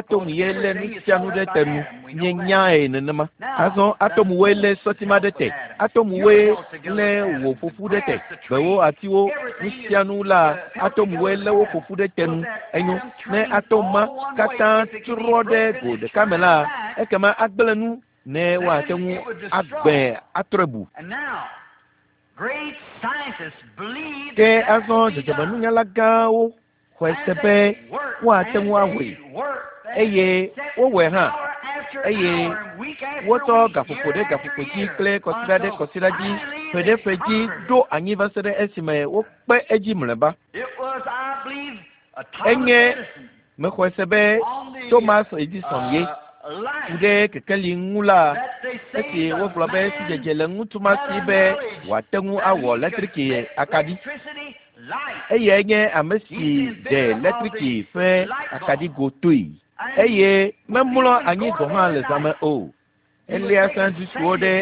Atom ye lé nu sia nu ɖe te nu. Míenyae nenema. Azɔ atomwoe lé sɔti ma ɖe te. Atomwoe lé wò ƒoƒu ɖe te. Gbewo, atiwo, nu sia nu la, atomwoe lé wo ƒoƒu ɖe te nu. Enyo, ne atom ma katã trɔ ɖe go ɖeka me la, ekema agblẽ nu Ne woate ŋu agbẽ atrɔe bu. Ke azɔ dzɔdzɔmenunyala gãwo xɔe se be woate ŋu awɔe, eye wowɔe hã, eye wotsɔ gaƒoƒo ɖe gaƒoƒo dzi kple kɔsiɖa ɖe kɔsiɖa dzi, ƒe ɖe ƒe dzi ɖo anyi va se ɖe esime wokpe edzi mlɔeba. Enye mexɔe se be Thomas Edison ye ku ɖe kekeli ŋu la, esi wogblɔ be sidzedze le ŋutsu ma si be wòate ŋu awɔ letriki akaɖi. Eyae nye ame si ɖe letriki ƒe akaɖigo toe, eye memlɔ anyi gɔ̃ hã le zãme o. Elia sandwichwo ɖe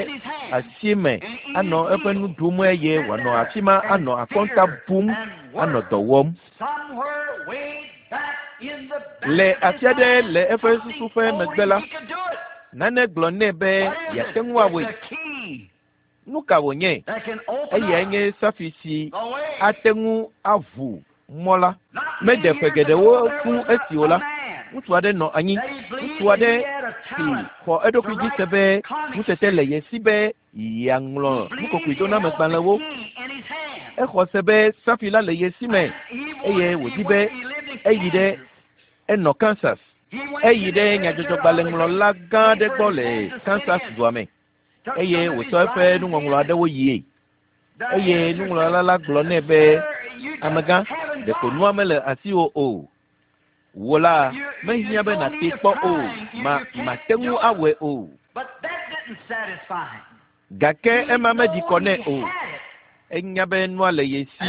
asi me anɔ eƒe nu ɖum eye wòanɔ afi ma anɔ akɔnta bum anɔ dɔ wɔm. Le afi aɖe le eƒe susu ƒe megbe la, nane gblɔ nɛ be yeate ŋu awɔe. Nu ka wònye? Eyae nye safi si ate ŋu aʋu mɔ la. Mede ƒe geɖewo fũ esi o la, ŋutsu aɖe nɔ anyi, ŋutsu aɖe si xɔ eɖokui dzi se be ŋutete le ye si be yeaŋlɔ nukokoedonamegbalẽwo. Exɔ se be safi la le ye si me eye wòdi be eyi ɖe enɔ Kansas. Eyi ɖe nyadzɔdzɔgbalẽŋlɔla gã aɖe gbɔ le Kansas dua me eye wòtsɔ eƒe nuŋɔŋlɔ aɖewo yie. Eye nuŋlɔla la gblɔ nɛ be, amegã, ɖeko nua mele asiwò o. Wò la, mehiã be nàtee kpɔ o, ma mate ŋu awɔe o. Gake ema meɖi kɔ nɛ o. Enya be nua le ye si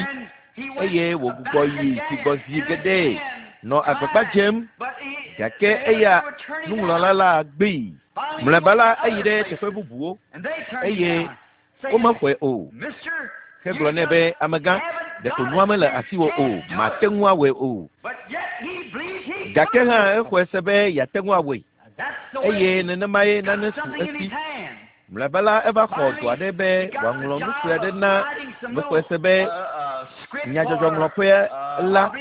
eye wògbugbɔ yi zigbɔ zi geɖe nɔ agbagba dzem, gake eya nuŋlɔla la gbee. Mlɔeba la, eyi ɖe teƒe bubuwo eye womexɔe o. Hegblɔ nɛ be, amegã, ɖeko nua mele asiwò o, mate ŋu awɔe o. Gake hã exɔe se be yeate ŋu awɔe, eye nenemae nane su esi. Mlɔeba la, eva xɔ dɔ aɖe be wòaŋlɔ nu sue aɖe na mexɔe se be nyadzɔdzɔŋlɔƒe la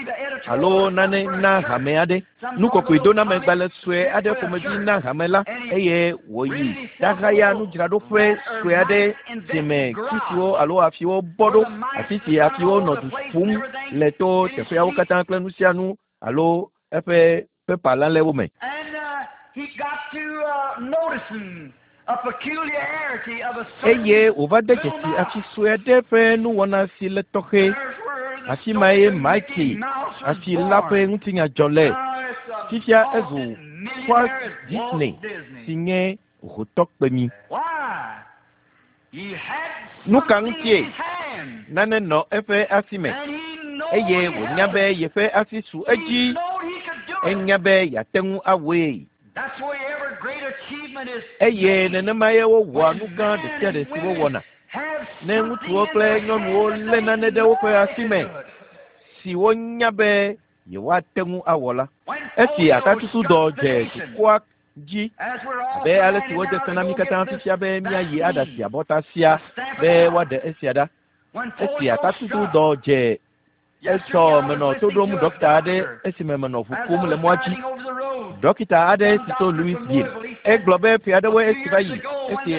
alo nane na hame aɖe. Nukokoedonamegbalẽ sue aɖe ƒomevi na hame la eye wòyi ɖahaya nudzraɖoƒe sue aɖe si me tsisiwo alo afiwo bɔ ɖo, afi si afiwo nɔ du ƒum le to teƒeawo katã kple nu sia nu alo eƒe pepa lalɛwo me. Eye wòva de dzesi afi sue aɖe ƒe nuwɔna si le tɔxɛ. Afi mae Mike afi la ƒe ŋutinya dzɔ le. Fifia ezu Walt Disney si nye hotɔkpemi. Nu ka ŋutie? Nane nɔ eƒe asi me eye wònya be yeƒe asi su edzi. Enya be yeate ŋu awɔe. Eye nenemae wowɔa nu gã ɖe sia ɖe si wowɔna. Ne ŋutsuwo kple nyɔnuwo lé nane ɖe woƒe asi me si wonya be yewoate ŋu awɔ la. Esi atatutudɔ dze dukɔa dzi abe ale si wode se na mí katã fifia be míayi aɖasi abɔta sia be woaɖe esia ɖa. Esi atatutudɔ dze etsɔ menɔ to ɖom ɖɔkita aɖe esime menɔ ʋu kum le mɔa dzi. Ɖɔkita aɖe si tso Louisville. Egblɔ be ƒe aɖewoe esi va yi esi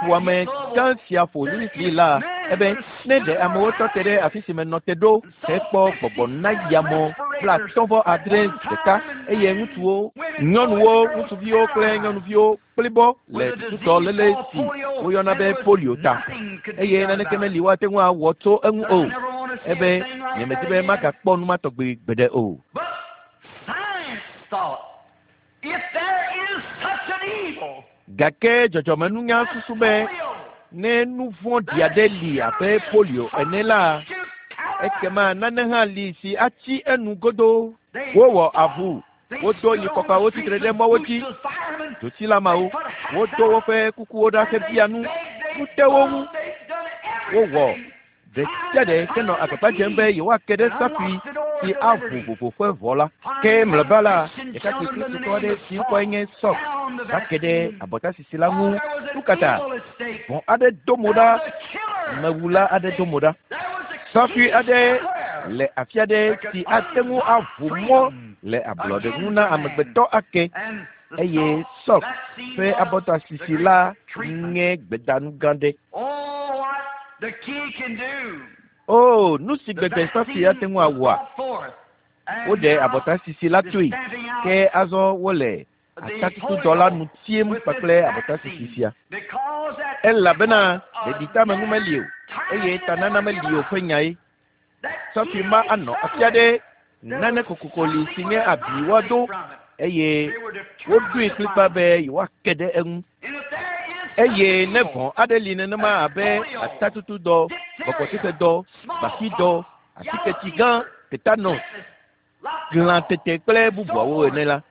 ƒuame gã sia ƒo Louisville la, ebe ne ɖe amewo tɔ te ɖe afi si menɔ te ɖo hekpɔ gbɔgbɔ na yamɔ blaatɔ̃ vɔ adre ɖeka eye ŋutsuwo, nyɔnuwo, ŋutsuviwo kple nyɔnuviwo kplibɔ le tutudɔ léle si woyɔna be polio ta eye naneke meli woate ŋu awɔ tso eŋu o. Ebe nyemedi be magakpɔ nu ma tɔgbi gbeɖe o. Gake dzɔdzɔmenunya susu be ne nu vɔ̃ɖi aɖe li abe polio ene la, ekema nane hã li si atsi enu godoo. Wowɔ avu, wodo nyikɔkawo tsitre ɖe mɔwo dzi, dzotsilameawo, wodo woƒe kukuwo ɖa hebia nu, nu te wo ŋu. Wowɔ ɖe sia ɖe henɔ agbagba dzem be yewoake ɖe safui si aʋu vovo ƒe ʋɔ la. Ke mlɔeba la, ɖekakpui kristotɔ aɖe si ŋkɔe nye Sɔk va ke ɖe abɔtasisi la ŋu. Nu ka ta? Vɔ̃ aɖe do mo ɖa, mewula aɖe do mo ɖa. Safui aɖe le afi aɖe si ate ŋu aʋu mɔ le ablɔɖe ŋu na amegbetɔ ake. Eye Sɔk ƒe abɔtasisi la nye gbedanu gã ɖe. O, nu si gbegbe safui ate ŋu awɔa? Woɖe abɔtasisi la toe, ke azɔ wole atatutudɔ la nu tiem kpakple abɔtasisi sia. Elabena ɖeɖiteameŋu meli o, eye tanana meli o ƒe nyae. Safui ma anɔ afi aɖe, nane kokoko li si nye abi woado, eye woɖoe kplikpaa be yewoake ɖe eŋu. Eye ne vɔ̃ aɖe li nenema abe atatutudɔ, gbɔgbɔtsixedɔ, gbafidɔ, atiketi gã, tetanus, glãtete kple bubuawo ene la,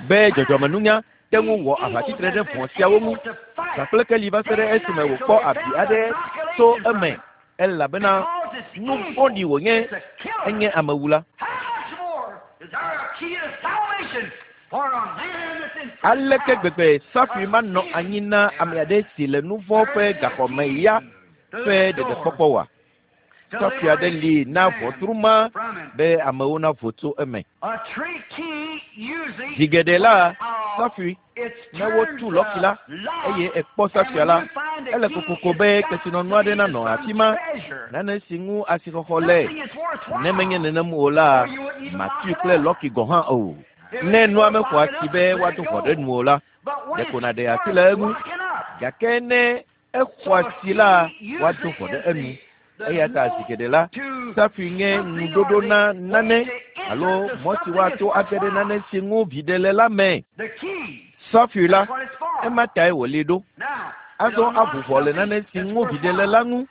be dzɔdzɔmenunya te ŋu wɔ aʋatsitre ɖe vɔ̃ siawo ŋu zã kple keli va se ɖe esime wòkpɔ abi aɖe tso eme, elabena nu vɔ̃ɖi wònye, enye amewula. Aleke gbegbe safui manɔ anyi na ame aɖe si le nu vɔ̃ ƒe gaxɔme ya ƒe ɖeɖekpɔkpɔ oa? Safui aɖe li na ʋɔtru ma be amewo navo tso eme. Zi geɖe la, safui, ne wotu lɔki la, eye ekpɔ safuia la, ele kokoko be kesinɔnu aɖe nanɔ afi ma, nane si ŋu asixɔxɔ le. Ne menye nenem o la, matui kple lɔki gɔ̃ hã o. Ne nua mexɔ asi be woado ʋɔ ɖe nu o la, ɖeko nàɖe asi le eŋu. Gake ne exɔ asi la, woado ʋɔ ɖe enu. Eya ta zi geɖe la, safui nye ŋuɖoɖo na nane alo mɔ si woato age ɖe nane si ŋu viɖe le la me. Safui la, ema tae wòli ɖo. Azɔ aʋu ʋɔ le nane si ŋu viɖe le la ŋu.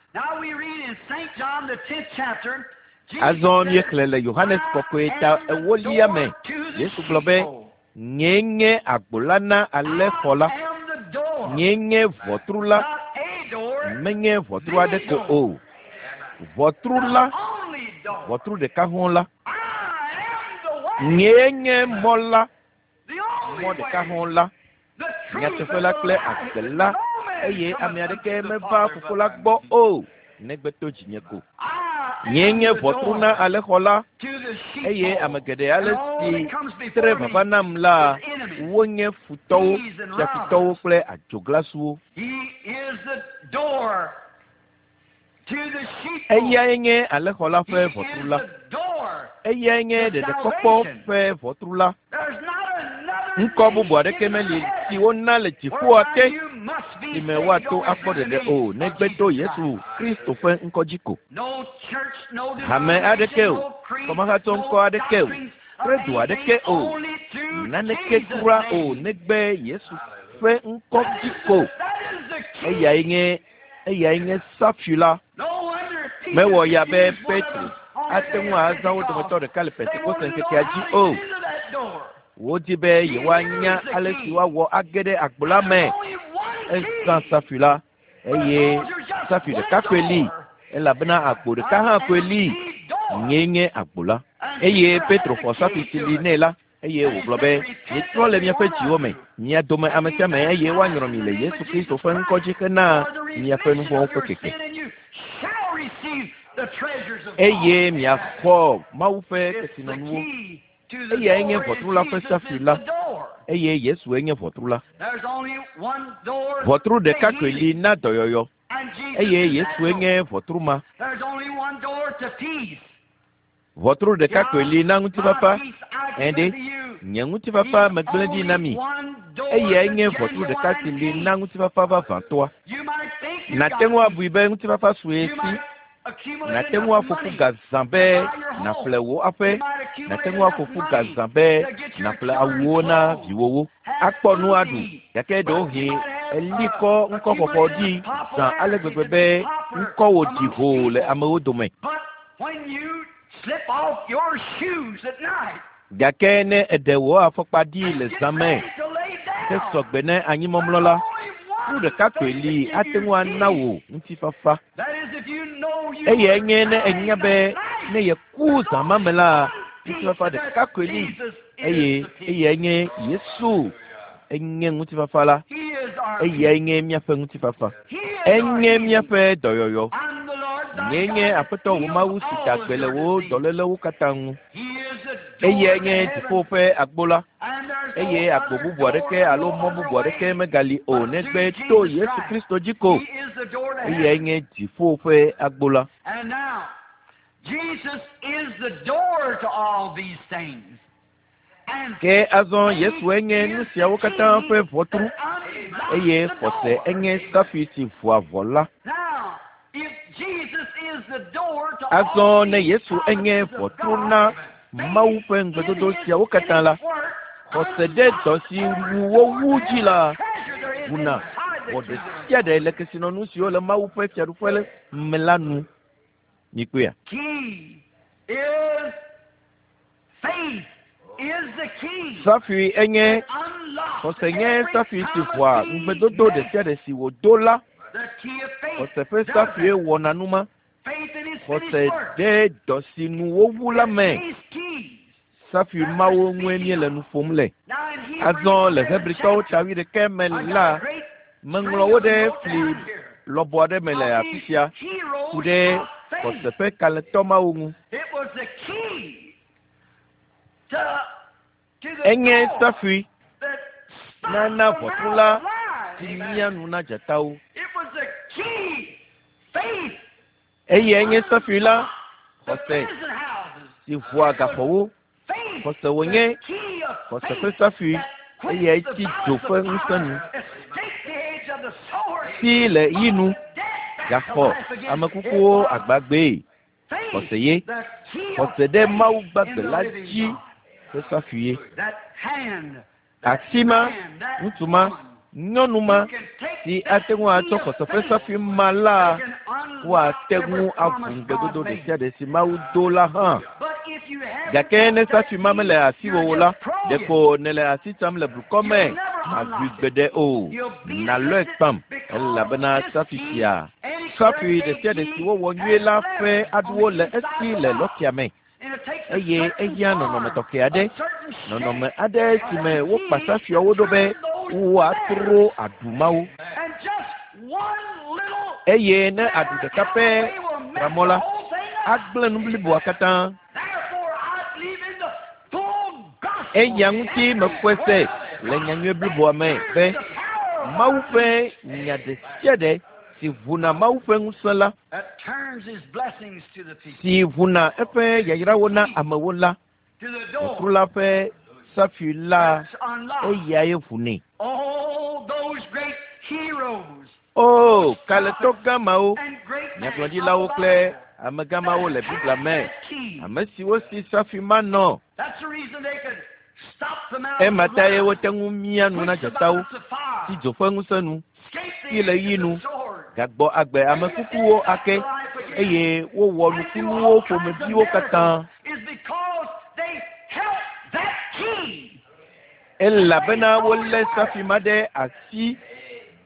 Azɔ míexlẽ le Yohanes kɔkɔe ta ewolia me. Yesu gblɔ be, nyee nye agbo la na alẽxɔ la. Nyee nye ʋɔtru la. Menye ʋɔtru aɖe ko o. Ʋɔtru la, ʋɔtru ɖeka hɔ̃ la. Nyee nye mɔ la, mɔ ɖeka hɔ̃ la, nyateƒe la kple agbe la, eye ame aɖeke meva Fofo la gbɔ o, negbe to dzinye ko. Nyee nye ʋɔtru na alẽxɔ la, eye ame geɖe ale si tre vava nam la, wonye futɔwo, fiafitɔwo kple adzoglasuwo. Eyae nye alẽxɔ la ƒe ʋɔtru la. Eyae nye ɖeɖekpɔkpɔ ƒe ʋɔtru la. Ŋkɔ bubu aɖeke meli si wona le dziƒoa te si me woato akpɔ ɖeɖe o, negbe to Yesu Kristo ƒe ŋkɔ dzi ko. Hame aɖeke o, kɔmahatsɔ ŋkɔ aɖeke o, credo aɖeke o, naneke kura o, negbe Yesu ƒe ŋkɔ dzi ko. Eyae nye eyae nye safui la. Mewɔ ya be Petro ate ŋu azã wo dometɔ ɖeka le Pentekoste ŋkekea dzi o. Wodi be yewoanya ale si woawɔ age ɖe agbo la me. Ezã safui la, eye safui ɖeka koe li, elabena agbo ɖeka hã koe li. Nyee nye agbo la. Eye Petro xɔ safui si li nɛ la, eye wògblɔ be, mietrɔ le miaƒe dziwo me, mia dome ame sia ame, eye woanyrɔ mi le Yesu Kristo ƒe ŋkɔ dzi hena miaƒe nu vɔ̃wo ƒe keke. Eye miaxɔ Mawu ƒe kesinɔnuwo. Eyae nye ʋɔtru la ƒe safui la, eye Yesue nye ʋɔtru la. Ʋɔtru ɖeka koe li na dɔyɔyɔ, eye Yesue nye ʋɔtru ma. Ʋɔtru ɖeka koe li na ŋutifafa. Ɛ̃ ɖe, nye ŋutifafa megblẽ ɖi na mi. Eyae nye ʋɔtru ɖeka si li na ŋutifafa vavãtɔa. Nàte ŋu abui be ŋutifafa sue si. Nàte ŋu aƒo ƒu ga zã be nàƒle wò aƒe. Nàte ŋu aƒo ƒu ga zã be nàƒle awuwo na viwòwo. Akpɔ nu aɖu, gake ɖewohĩ eli kɔ ŋkɔxɔxɔ ɖi zã ale gbegbe be ŋkɔwò ɖi hoo le amewo dome. Gake ne eɖe wò afɔkpa ɖi le zã me ke sɔgbe ne anyimɔmlɔ la, nu ɖeka koe li ate ŋu ana wò ŋutifafa. Eyae nye ne enya be ne yeku zã ma me la, ŋutifafa ɖeka koe li, eye eyae nye Yesu enye ŋutifafa la. Eyae nye míaƒe ŋutifafa. Enye míaƒe dɔyɔyɔ. Nyee nye Aƒetɔ wò Mawu si da gbe le wò dɔlélewo katã ŋu. Eyae nye dziƒo ƒe agbo la, Eye agbo bubu aɖeke alo mɔ bubu aɖeke megali o negbe to Yesu Kristo dzi ko. Eyae nye dziƒo ƒe agbo la. And now, Jesus is the door to all these things. And Ke azɔ Yesue nye nu siawo katã ƒe ʋɔtru eye xɔse enye safi si ʋua ʋɔ la. Now, if Jesus is the door to Azɔ all ne these Yesu enye promises of ʋɔtru God, na Mawu ƒe ŋugbedodo siawo katã la, xɔse ɖe dɔ si ŋu wowu dzi la ʋuna ʋɔ ɖe sia ɖe le kesinɔnu siwo le Mawu ƒe fiaɖuƒe me la nu. Mikpɔea? Key is faith is the key. Safi enye that unlocks xɔse nye every safi si promise ʋua he ŋugbedodo ɖe made. sia ɖe si wòdo la. The key of faith Xɔse ƒe does safie that. wɔna nu ma. Faith in his Xɔse finished work. ɖe dɔ si nu wowu la me. These keys. Safi mawo ŋue míele nu ƒom le. Now in Hebrews Azɔ le eleven Hebritɔwo chapter, ta wuiɖekɛ me I got la, a great meŋlɔ wo ɖe fli lɔbɔ aɖe me le afi sia ku ɖe heroes of faith. xɔse ƒe kalẽtɔ mawo ŋu. It was the key to, to the Enye door safui that stopped nana the ʋɔtru mouth la of lies. si mia nu na dzatawo. It was the key, faith, Eyae nye safui la, the xɔse prison houses. si ʋua gaxɔwo. Faith, Xɔse wònye the key of xɔse ƒe faith safui that quenched eyae the tsi dzo violence ƒe of ŋusẽ fire, nu. escaped the edge of the sword, Si le yi nu brought the dead back to gaxɔ life again. ame It kukuwo was agbagbee. faith, Xɔse ye. the key of Xɔse ɖe Mawu faith in gbagbe the la living dzi God. ƒe safui ye. That hand, that Asi ma, man, that ŋutsu ma, woman nyɔnu ma who can take si that ate ŋu key atsɔ of xɔse ƒe faith, safui ma la, they can unlock woate every ŋu aʋu promise ŋugbedodo God ɖe made. sia ɖe si Mawu do la hã. But if you haven't Gake ne got that safi ma key, mele asiwò you're o la, just praying. ɖeko nèle asi tsam le blukɔ me, You'll never màʋui unlock it. gbeɖe o. You'll be Nàlɔe against it kpam because elabena this safi key, sia, any safui correct ɖe sia ɖe key, si wowɔ nyuie has la ƒe letters on aɖuwo the le inside esi of the le lock. lɔtia me And it takes a eye certain ehiã nɔnɔme form, tɔxɛ aɖe, a certain nɔnɔme shape aɖe of si me that wokpa key to safiawo ɖo be turn those woatrɔ letters. aɖu mawo. And just one little Eye ne aɖu letter ɖeka out of pɛ the way will tra mess mɔ the la, whole thing up. agblẽ nu bliboa katã. Therefore, I believe in the full gospel. Eya ŋuti Every mexɔe se word of le God nyanyui that bliboa me turns be the power of Mawu God ƒe nya ɖe sia ɖe si ʋuna Mawu ƒe ŋusẽ la, that turns his blessings to the people, si ʋuna eƒe yayrawo na amewo la, to the ʋɔtru door la ƒe safui la, that's unlocked. eyae ʋunɛ. Oh, those great heroes O kalẽtɔ gã mawo, and great men of nyagblɔɖilawo the kple Bible amegã mawo le that Biblia had me, that key. ame siwo si safi ma nɔ. That's the reason they could stop the mouth Ema of tae lions, wote ŋu mia nu na quench the dzatawo, violence of tsi fire, dzo ƒe ŋusẽ nu, escape the si le edge yi of nu, the sword, gagbɔ agbe ame bring the dead kukuwo back to ake life again, eye wowɔ and do nukunuwo all kinds of ƒomeviwo katã. miracles is because they held that key. Elabena wolé safi ma ɖe asi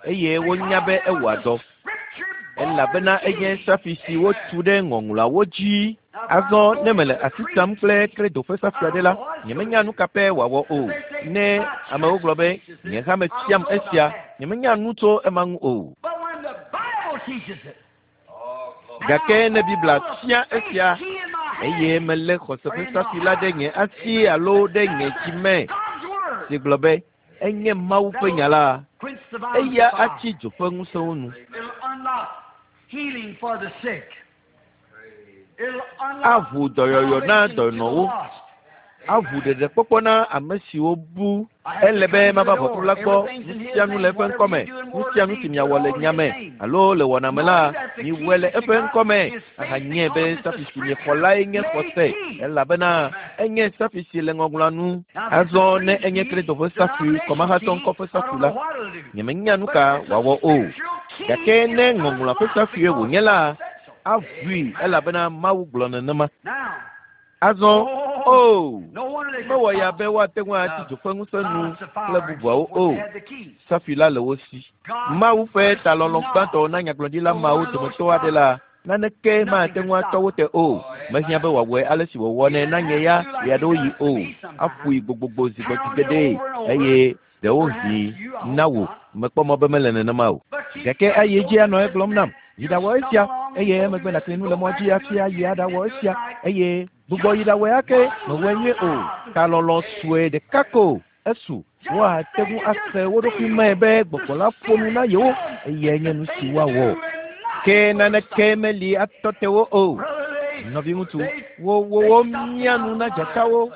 eye wonya Because be it was ewɔa a dɔ. scripture-born Elabena enye key. safi si wotu ɖe ŋɔŋlɔawo dzi. Now, if I'm Azɔ ne going mele with a asi creed tsam kple kredo ƒe I safi aɖe don't la, know what it's going nyemenya to nu do. ka pɛ wòawɔ If o. they say Ne my amewo church gblɔ be teaches nye this, hame I don't fiam know about esia, that. nyemenya nu tso ema ŋu o. But when the Bible teaches it, and Gake I ne Biblia hold the fia faith esia key in my eye hand melé xɔse or ƒe in my safi la ɖe heart nye asi alo that ɖe says nye dzi that me God's word, si gblɔ be enye Mawu ƒe that'll nya la, quench the violence eya of fire. atsi dzo ƒe ŋusẽwo nu. It'll unlock healing for the sick. It'll unlock Aʋu dɔyɔyɔ na salvation to the dɔnɔwo, lost. aʋu ɖeɖekpɔkpɔ na ame siwo bu. I have to Ele be come to the mava ʋɔtru door. la gbɔ, Everything's nu in His sia nu le name. eƒe Whatever ŋkɔme, you do in nu word or sia nu si deed, do it miawɔ le all in nya His me name. alo le wɔna me la, Knowing that the key miwɔe le that you eƒe got ŋkɔme is faith ahanye be because it's a safi si miexɔ lae nye scripture xɔse made key. elabena enye safi si le ŋɔŋlɔa nu. Now, if it's a Azɔ ne creed enye key, kredo ƒe safi, denominational kɔmahatɔ key, ŋkɔ ƒe I safi don't la, know what it'll do. nyemenya nu But ka if it's a wòawɔ o. scriptural key, Gake ne it'll ŋɔŋlɔa ƒe unlock safie because wònye la, God said so. aʋui elabena Mawu gblɔ nenema. Now, Azɔ, oh, o, no wonder they could mewɔ ya stop be woate ŋu atsi the dzo ƒe ŋusẽ nu violence of kple fire and so bubuawo forth. o. They had the keys. Safi la le wo si. God's Mawu ƒe first talɔlɔ̃ nod gbãtɔ na nyagblɔɖila to mawo one of those dometɔ aɖe la, prophets, naneke nothing mate could ŋu atɔ stop wo them. te o. Mehiã be wòawɔe ale si He wòwɔnɛ didn't na nye have ya to do like he ɣeaɖewoɣi does to o. me sometimes. Aƒoe gbogbogbo zi gbɔ zi Pound it geɖe over and over. eye ɖewohĩ Perhaps you, I hope na wò. not. Mekpɔ mɔ be mele nenema o. But keep Gake saying, ayi go edzi do anɔ this egblɔm and nam. that. Yi You'll ɖawɔ esia stumble along and eye go do emegbe this nàkli and nu go le mɔ back dzi and do hafi it ayi again and aɖawɔ didn't do it esia right. eye gbugbɔ yi Just ɖawɔe ake one mewɔe little nyuie o. nod. Talɔlɔ̃ sue ɖeka ko Esu woate ŋu ase wo ɖokui me be gbɔgbɔ la ƒo nu na yewo eyae nye nu si woawɔ. Ke naneke meli atɔ te wo o. Nɔviŋutsu, wo wo wo mia nu na dzatawo,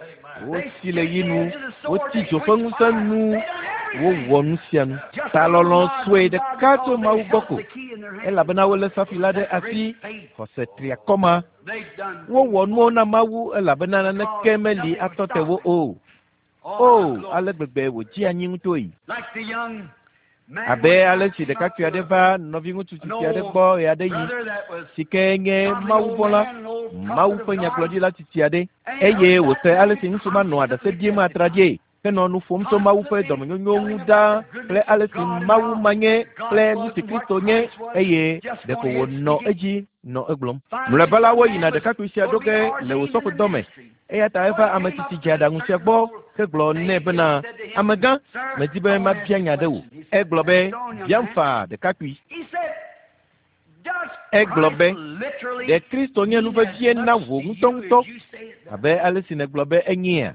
wosi le yi nu, wotsi dzo ƒe ŋusẽ nu, wowɔ nu sia nu. Talɔlɔ̃ sue ɖeka tso Mawu gbɔ ko, elabena wolé safi la ɖe asi, xɔse triakɔ ma. Wowɔ nuwo na Mawu elabena naneke meli atɔ te wo o. O, ale gbegbe wòdzi anyi ŋutɔe. Abe ale si ɖekakpui aɖe va nɔviŋutsu tsitsi aɖe gbɔ ɣeaɖeɣi, si ke nye Mawuvɔ̃la, Mawu ƒe nyagblɔɖila tsitsi aɖe, eye wòse ale si ŋutsu ma nɔa ɖase ɖim atraɖie henɔ nu ƒom tso Mawu ƒe dɔmenyonyo ŋu ɖaa kple ale si Mawu ma nye kple nu si Kristo nye, eye ɖeko wònɔ edzi nɔ egblɔm. Mlɔeba la, woyina ɖekakpui sia ɖo ge le wòsɔƒodɔ me. Eya ta eva ame tsitsi dzeaɖaŋu sia gbɔ hegblɔ nɛ bena, amegã, medi be mabia nya ɖe wò. Egblɔ be, biam faa ɖekakpui. Egblɔ be, ɖe Kristo nye nu vevie na wò ŋutɔŋutɔ abe ale si nègblɔ be enyea?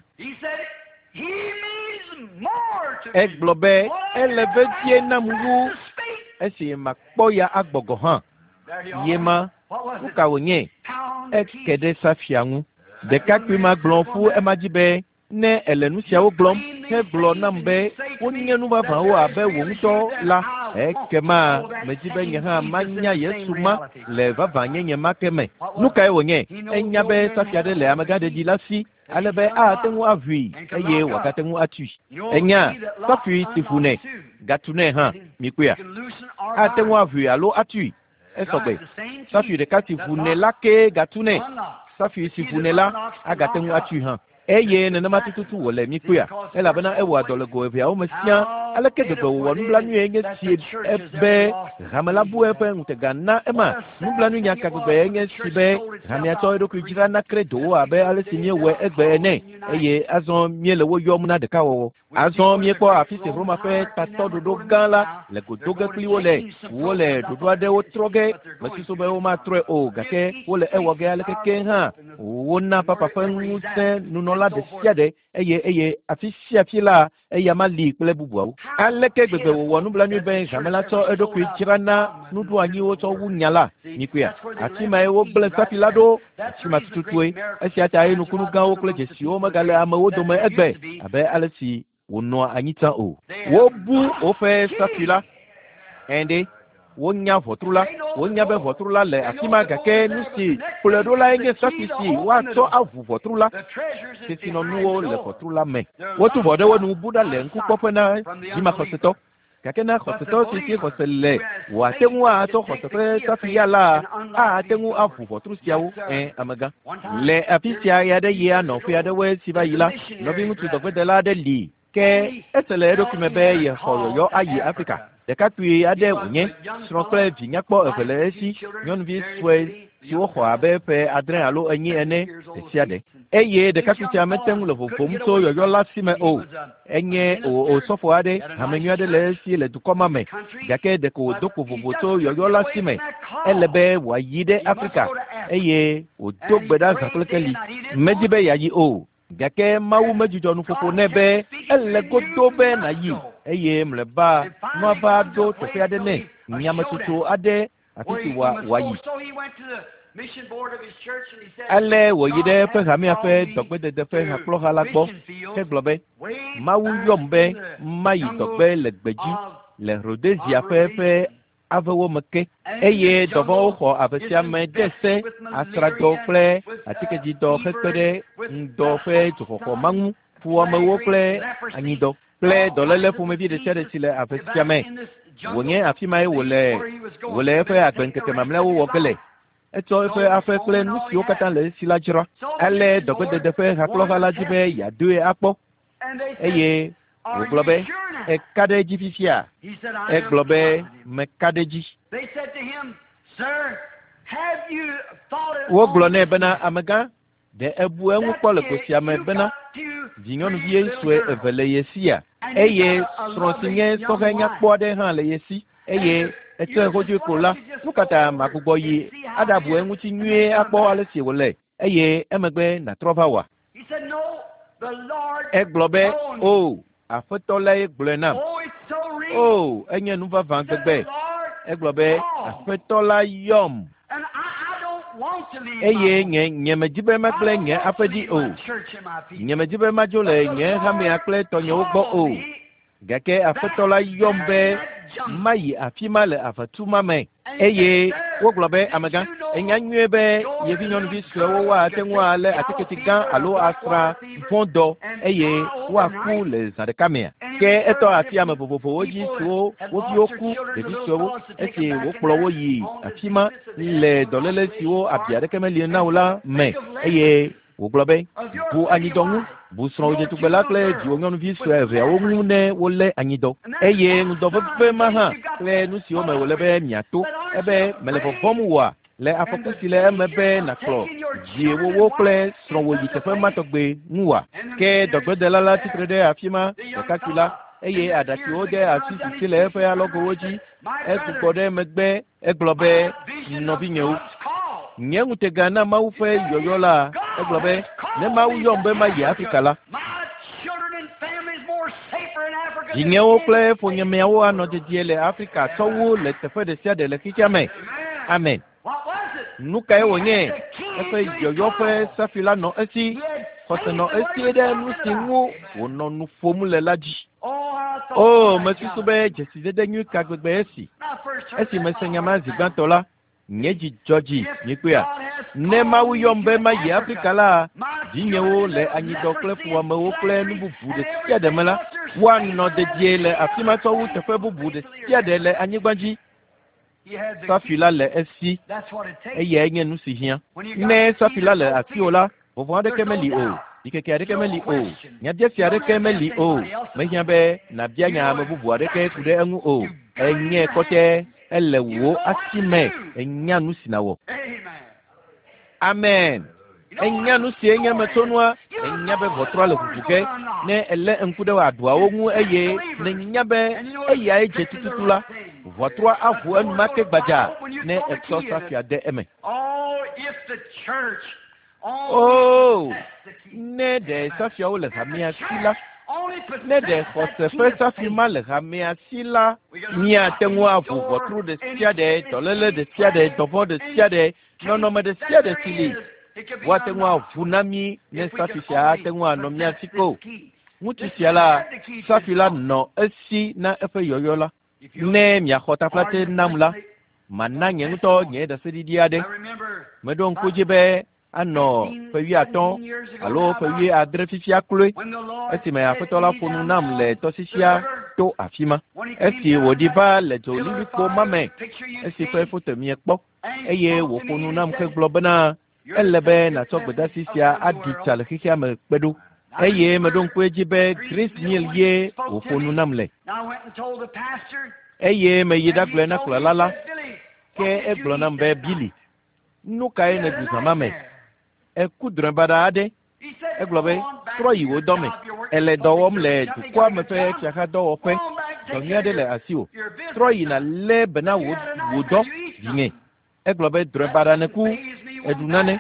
Egblɔ be, ele vevie nam wu esi makpɔ ya agbɔ gɔ̃ hã. Ye ma, nu ka wònye? Eke ɖe safia ŋu. Ɖekakpui ma gblɔ ƒu ema dzi be, ne ele nu siawo gblɔm hegblɔ nam be wonye nu vavãwo abe wò ŋutɔ la, ekema medzi be nye hã manya Yesu ma le vavãnyenye ma ke me. Nu kae wònye? Enya be safi aɖe le amegãɖeɖi la si, ale be ate ŋu aʋui eye wòagate ŋu atui. Enya safi si ʋunɛ, gatunɛ hã, mikpɔea? Ate ŋu aʋui alo atui. Esɔgbe. Safi ɖeka si ʋunɛ la kee gatunɛ. Safi si ʋunɛ la agate ŋu atui hã. Eye nenema tututu wòle mikpɔea, elabena ewɔa dɔ le go eveawo me siaa. Aleke gbegbe wòwɔ nublanui nye si be hame la bu eƒe ŋutega na ema. Nublanuinya ka gbegbe nye si be hamea tsɔ eɖokui dzra na kredowo abe ale si míewɔe egbe ene, eye azɔ míele wo yɔm na ɖekawɔwɔ. Azɔ míekpɔ afi si Roma ƒe tatɔɖoɖo gã la le go do ge kpli wo le. Wole ɖoɖo aɖewo trɔ ge, mesusu be womatrɔe o, gake wole ewɔ ge aleke ke hã. Wona papa ƒe ŋusẽ nunɔla ɖe sia ɖe, eye eye afi sia afi la eya ma li kple bubuawo. Aleke gbegbe wòwɔ nublanui be hame la tsɔ eɖokui dzra na nuɖoanyiwo tsɔ wu nya la, mikpɔea? Afi mae wogblẽ safi la ɖo, afi ma tututue. Esia ta ye nukunu gãwo kple dzesiwo megale amewo dome egbe abe ale si wònɔa anyi tsã o. Wobu woƒe safi la. Ɛ̃ɖe, wonya ʋɔtru la, wonya be ʋɔtru la le afi ma, gake nu si kplɔe ɖo lae nye safi si woatsɔ aʋu ʋɔtru la. Kesinɔnuwo le ʋɔtru la me. Wotu ʋɔ ɖe wo nu bu ɖa le ŋkukpɔƒe na dzimaxɔsetɔ. Gake na xɔsetɔ si si xɔse le wòate ŋu atsɔ xɔse ƒe safi ya la, ate ŋu aʋu ʋɔtru siawo. Ẽ, amegã. Le afi sia ɣe aɖe yi anɔ ƒe aɖewoe si va yi la, nɔviŋutsu dɔgbedela aɖe li ke ese le eɖokui me be yexɔ yɔyɔ ayi Afrika. Ɖekakpui aɖe wònye, srɔ̃ kple vi nyakpɔ eve le esi, nyɔnuvi sue siwo xɔ abe ƒe adre alo enyi ene ɖe sia ɖe. Eye ɖekakpui sia mete ŋu le vovom tso yɔyɔ la si me o. Enye osɔfo aɖe, hame nyui aɖe le esi le dukɔ ma me, gake ɖeko wòdo kpo vovo tso yɔyɔ la si me. Ele be wòayi ɖe Afrika eye wòdo gbe ɖa zã kple keli. Medi be yeayi o, gake Mawu medzudzɔ nuƒoƒo nɛ be ele godo be nàyi, eye mlɔeba nua va ɖo teƒe aɖe nɛ, nyametsotso aɖe afi si wòayi. Ale wòyi ɖe eƒe hamea ƒe dɔgbedede ƒe hakplɔha la gbɔ hegblɔ be, Mawu yɔm be mayi dɔgbe le gbedzi le Rhodesia ƒe ƒe avewo me ke, eye dɔvɔ̃wo xɔ ave sia me de se asrãdɔ kple atikedzidɔ hekpe ɖe ŋdɔ ƒe dzoxɔxɔ ma ŋu, fuwɔamewo kple anyidɔ kple dɔléle ƒomevi ɖe sia ɖe si le ave sia me. Wònye afi mae wòle wòle eƒe agbeŋkeke mamlɛawo wɔ ge le. Etsɔ eƒe aƒe kple nu siwo katã le esi la dzra. Ale dɔgbedede ƒe hakplɔha la dzi be yeadoe akpɔ, eye wògblɔ be, eka ɖe edzi fifia? Egblɔ be, meka ɖe edzi. Wogblɔ nɛ bena, amegã, ɖe ebu eŋu kpɔ le go sia me bena vinyɔnuvi sue eve le ye sia, eye srɔ̃ si nye sɔhɛ nyakpɔ aɖe hã le ye si, eye etsɔe xoxoe ko la, nu ka ta magbugbɔ yi aɖabu eŋuti nyuie akpɔ ale si wòle, eye emegbe nàtrɔ va wòa? Egblɔ be, o, Aƒetɔ lae gblɔe nam. O, enye nu vavã gbegbe. Egblɔ be Aƒetɔ la yɔm. Eye nye nye medzi be magblẽ nye aƒe dzi o. Nye medzi be madzo le nye hamea kple tɔnyewo gbɔ o. Gake Aƒetɔ la yɔm be mayi afi ma le aʋatu ma me. Eye wogblɔ be amegã, enya nyuie be yevi nyɔnuvi suewo woate ŋu alé atiketi gã alo asrã vɔ̃ dɔ eye woaku le zã ɖeka mea. Ke etɔ asi ame vovovowo dzi siwo wo viwo ku ɖevi suewo esi wokplɔ wo yi afi ma le dɔléle siwo abi aɖeke meli na wo la me eye wògblɔ be bu anyidɔ ŋu, bu srɔ̃wò dzetugbe la kple dziwò nyɔnuvi sue eveawo ŋu ne wolé anyidɔ. Eye ŋudɔ veve ma hã kple nu siwo me wòle be miato ebe mele vɔvɔ̃m woa le afɔku si le eme be nàkplɔ viwòwo kple srɔ̃wò yi teƒe ma tɔgbe ŋu wa. Ke dɔgbedela la tsitre ɖe afi ma ɖekakpui la eye aɖatsiwo de asi sisi le eƒe alɔgowo dzi. Egbugbɔ ɖe megbe egblɔ be nɔvinyewo, nye ŋutega na Mawu ƒe yɔyɔ la, egblɔ be ne Mawu yɔm be mayi Afrika la, dzinyewo kple ƒonyemeawo anɔ dedie le Afrika tsɔwu le teƒe ɖe sia ɖe le xexea me. Amen. Nu kae wònye? Eƒe yɔyɔ ƒe safi la nɔ esi. Xɔse nɔ esi ɖe nu si ŋu wònɔ nu ƒom le la dzi. O, mesusu be dzesidede nyui ka gbegbe esi. Esi mese nya ma zi gbãtɔ la, nye dzi dzɔ dzi nyikpea. Ne Mawu yɔm be mayi Afrika la, dzinyewo le anyidɔ kple fuwɔamewo kple nu bubu ɖe sia ɖe me la, woanɔ dedie le afi ma tsɔwu teƒe bubu ɖe sia ɖe le anyigba dzi. Safi la le esi, eyae nye nu si hiã. Ne safi la le asiwò la, vɔvɔ̃ aɖeke meli o, ɖikeke aɖeke meli o, nyabiase aɖeke meli o. Mehiã be nàbia nya ame bubu aɖeke ku ɖe eŋu o. Enye kɔtɛ, ele wò asi me, enya nu si nàwɔ. Amen. Enya nu si enye metsonua, enya be ʋɔtrua le ʋuʋu ge. Ne èlé ŋku ɖe aɖuawo ŋu eye nènya be eyae dze tututu la, ʋɔtrua aʋu enumake gbadza ne ètsɔ safia de eme. O, ne ɖe safiawo le hamea si la, ne ɖe xɔse ƒe safi ma le hamea si la, míate ŋu aʋu ʋɔtru ɖe sia ɖe, dɔléle ɖe sia ɖe, dɔvɔ̃ ɖe sia ɖe, nɔnɔme ɖe sia ɖe si li. Woate ŋu aʋu na mí ne safi sia ate ŋu anɔ mía si ko. Ŋutsu sia la, safi la nɔ esi na eƒe yɔyɔ la. Ne miaxɔ taflatse nam la, mana nye ŋutɔ nye ɖaseɖiɖi aɖe. Meɖo ŋku dzi be anɔ ƒe wuiatɔ̃ alo ƒe wuiadre fifia kloe esime Aƒetɔ la ƒo nu nam le tɔsisia to afi ma. Esi wòɖi va le dzolilikpo ma me, esi ƒe foto miekpɔ eye wòƒo nu nam hegblɔ bena ele be nàtsɔ gbedeasi sia aɖi tsa le xexea me kpe ɖo. Eye meɖo ŋku edzi be Grace Mill ye wòƒo nu nam le. Eye meyi ɖagblɔe na kplɔla la, ke egblɔ nam be Billy, nu kae nèɖu zã ma me? Eku drɔ̃e baɖa aɖe. Egblɔ be trɔ yi wò dɔme. Èle dɔ wɔm le dukɔa me ƒe fiaxadɔwɔƒe. Dɔ nyui aɖe le asiwò. Trɔ yi nàlé be na wò wò dɔ vinye. Egblɔ be drɔ̃e baɖa nèku, èɖu nane.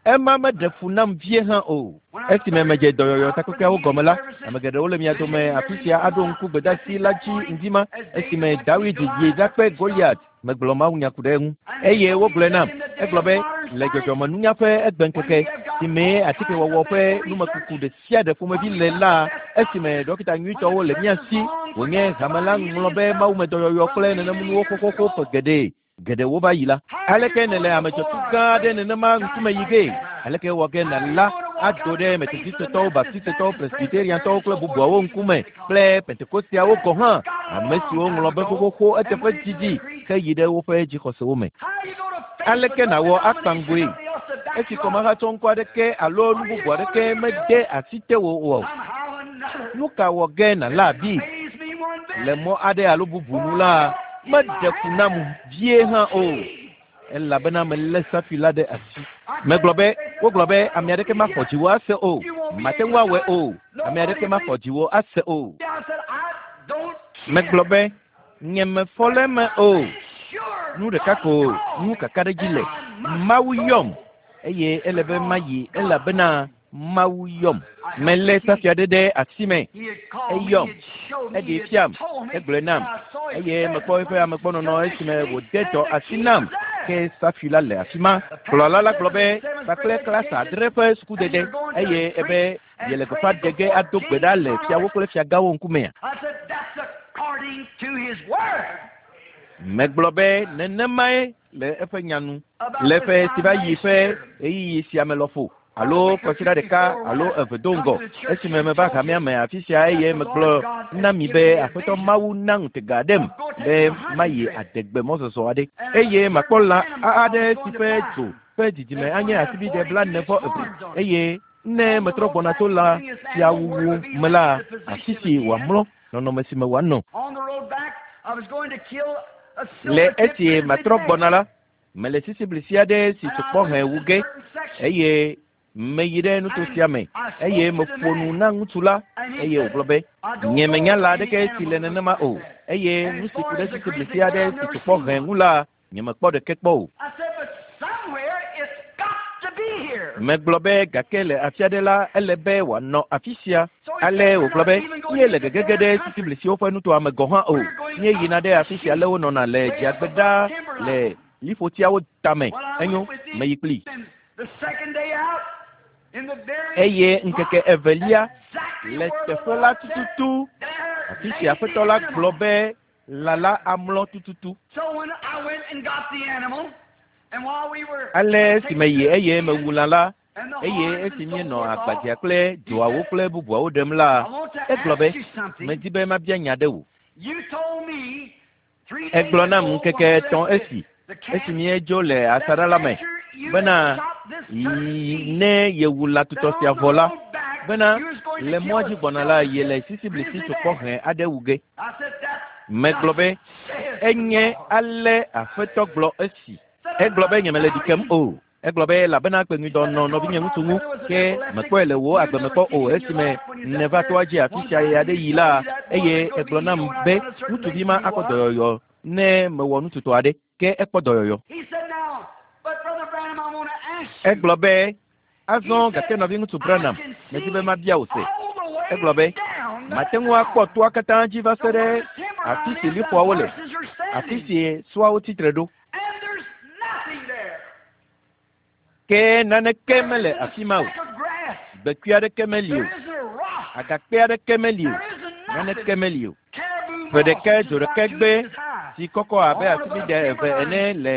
Ema meɖe fu nam vie hã o. Esime medze dɔyɔyɔ takpekpeawo gɔme la, ame geɖewo le mia dome afi sia aɖo ŋku gbedeasi la dzi ŋdi ma esime Dawid yi ɖakpe Goliat. Megblɔ mawunya ku ɖe eŋu. Eye wogblɔe nam. Egblɔ be le dzɔdzɔmenunya ƒe egbeŋkeke si mee atikewɔwɔ ƒe numekuku ɖe sia ɖe ƒomevi le la, esime dɔkita nyuitɔwo le mía si, wònye hame la ŋlɔ be mawumedɔyɔyɔ kple nenemunuwo xoxoxo ƒe geɖe geɖewo va yi la. Aleke nèle ame dzɔtsu gã aɖe nenema ŋkume yi ge? Aleke wɔ ge nàla ado ɖe Metodistetɔwo, Baptistetɔwo, Presbyteriantɔwo kple bubuawo ŋkume kple Pentekosteawo gɔ̃ hã, ame siwo ŋlɔ be xoxoxo eteƒe didi heyi ɖe woƒe dzixɔsewo me? Aleke nàwɔ akpa ŋgoe esi kɔmahatsɔŋkɔ aɖeke alo nu bubu aɖeke mede asi tewò o? Nu ka wɔ ge nàla abi? Le mɔ aɖe alo bubu nu la, meɖe fu nam vie hã o, elabena melé safi la ɖe asi. Megblɔ be, wogblɔ be ame aɖeke maxɔ dziwò ase o, mate ŋu awɔe o, ame aɖeke maxɔ dziwò ase o. Megblɔ be, nye mefɔ le eme o. Nu ɖeka ko ŋu kakaɖedzi le. Mawu yɔm eye ele be mayi elabena Mawu yɔm. Melé safui aɖe ɖe asi me. Eyɔm. Eɖee fiam. Egblɔe nam. Eye mekpɔ eƒe amegbɔnɔnɔ esime wòde dɔ asi nam. Ke safui la le afi ma. Kplɔla la gblɔ be kpakple klasa adre ƒe sukudede eye ebe yele gbeƒã ɖe ge ado gbe ɖa le fiawo kple fiagãwo ŋkumea. Megblɔ be nenemae le eƒe nya nu. Le ƒe si va yi ƒe ɣeyiɣi sia me lɔƒo alo kɔsiɖa ɖeka alo eve do ŋgɔ esime meva hamea me afi sia eye megblɔ na mi be Aƒetɔ Mawu na ŋutega aɖem be mayi adegbe mɔzɔzɔ aɖe eye makpɔ lã aɖe si ƒe dzo ƒe didime anye asibidɛ blaene vɔ eve eye ne metrɔ gbɔna tso lã sia wuwu me la, afi si wòamlɔ, nɔnɔme si me wòanɔ. Le esi matrɔ gbɔna la, mele sisiblisi aɖe si tsokpɔ hẽ wu ge eye meyi ɖe nuto sia me eye meƒo nu na ŋutsu la eye wògblɔ be nye menya lã aɖeke si le nenema o eye nu si ku ɖe sisiblisi aɖe si tsokpɔ hẽ ŋu la, nyemekpɔ ɖeke kpɔ o. Megblɔ be gake le afi aɖe la, ele be wòanɔ afi sia. Ale wògblɔ be míele gegege ɖe sisiblisiwo ƒe nutoa me gɔ̃ hã o. Míeyina ɖe afi sia ale wonɔna le dziagbe ɖaa le liƒotiawo tame. Enyo, meyi kplii. Eye ŋkeke evelia le teƒe la tututu, afi si Aƒetɔ la gblɔ be lã la amlɔ tututu. Ale esi meyi eye mewu lã la, eye esi míenɔ agbadzea kple dzoawo kple bubuawo ɖem la, egblɔ be medi be mabia nya ɖe wò. Egblɔ nam ŋkeke etɔ̃ esi esi míedzo le asaɖa la me bena ne yewu lã tutɔ sia vɔ la, bena le mɔa dzi gbɔna la, yele sisiblisi tsokpɔ hẽ aɖe wu ge. Megblɔ be enye ale Aƒetɔ gblɔ esi. Egblɔ be nyemele ɖi kem o. Egblɔ be elabena kpeŋuidɔ nɔ nɔvinye ŋutsu ŋu ke mekpɔe le wò agbe me kpɔ o esime nèva toa dzi afi sia ɣe aɖe yi la eye egblɔ nam be ŋutsuvi ma akpɔ dɔyɔyɔ ne mewɔ nututɔ aɖe ke ekpɔ dɔyɔyɔ. Egblɔ be azɔ gake nɔviŋutsu Branham medi be mabia wò se. Egblɔ be mate ŋu akpɔ toa katã dzi va se ɖe afi si liƒoawo le, afi si sɔawo tsitre ɖo. Ke naneke mele afi ma o. Gbekui aɖeke meli o. Agakpe aɖeke meli o. Naneke meli o. Ƒe ɖeka dzo ɖeka gbe si kɔkɔ abe asibidɛ eve ene le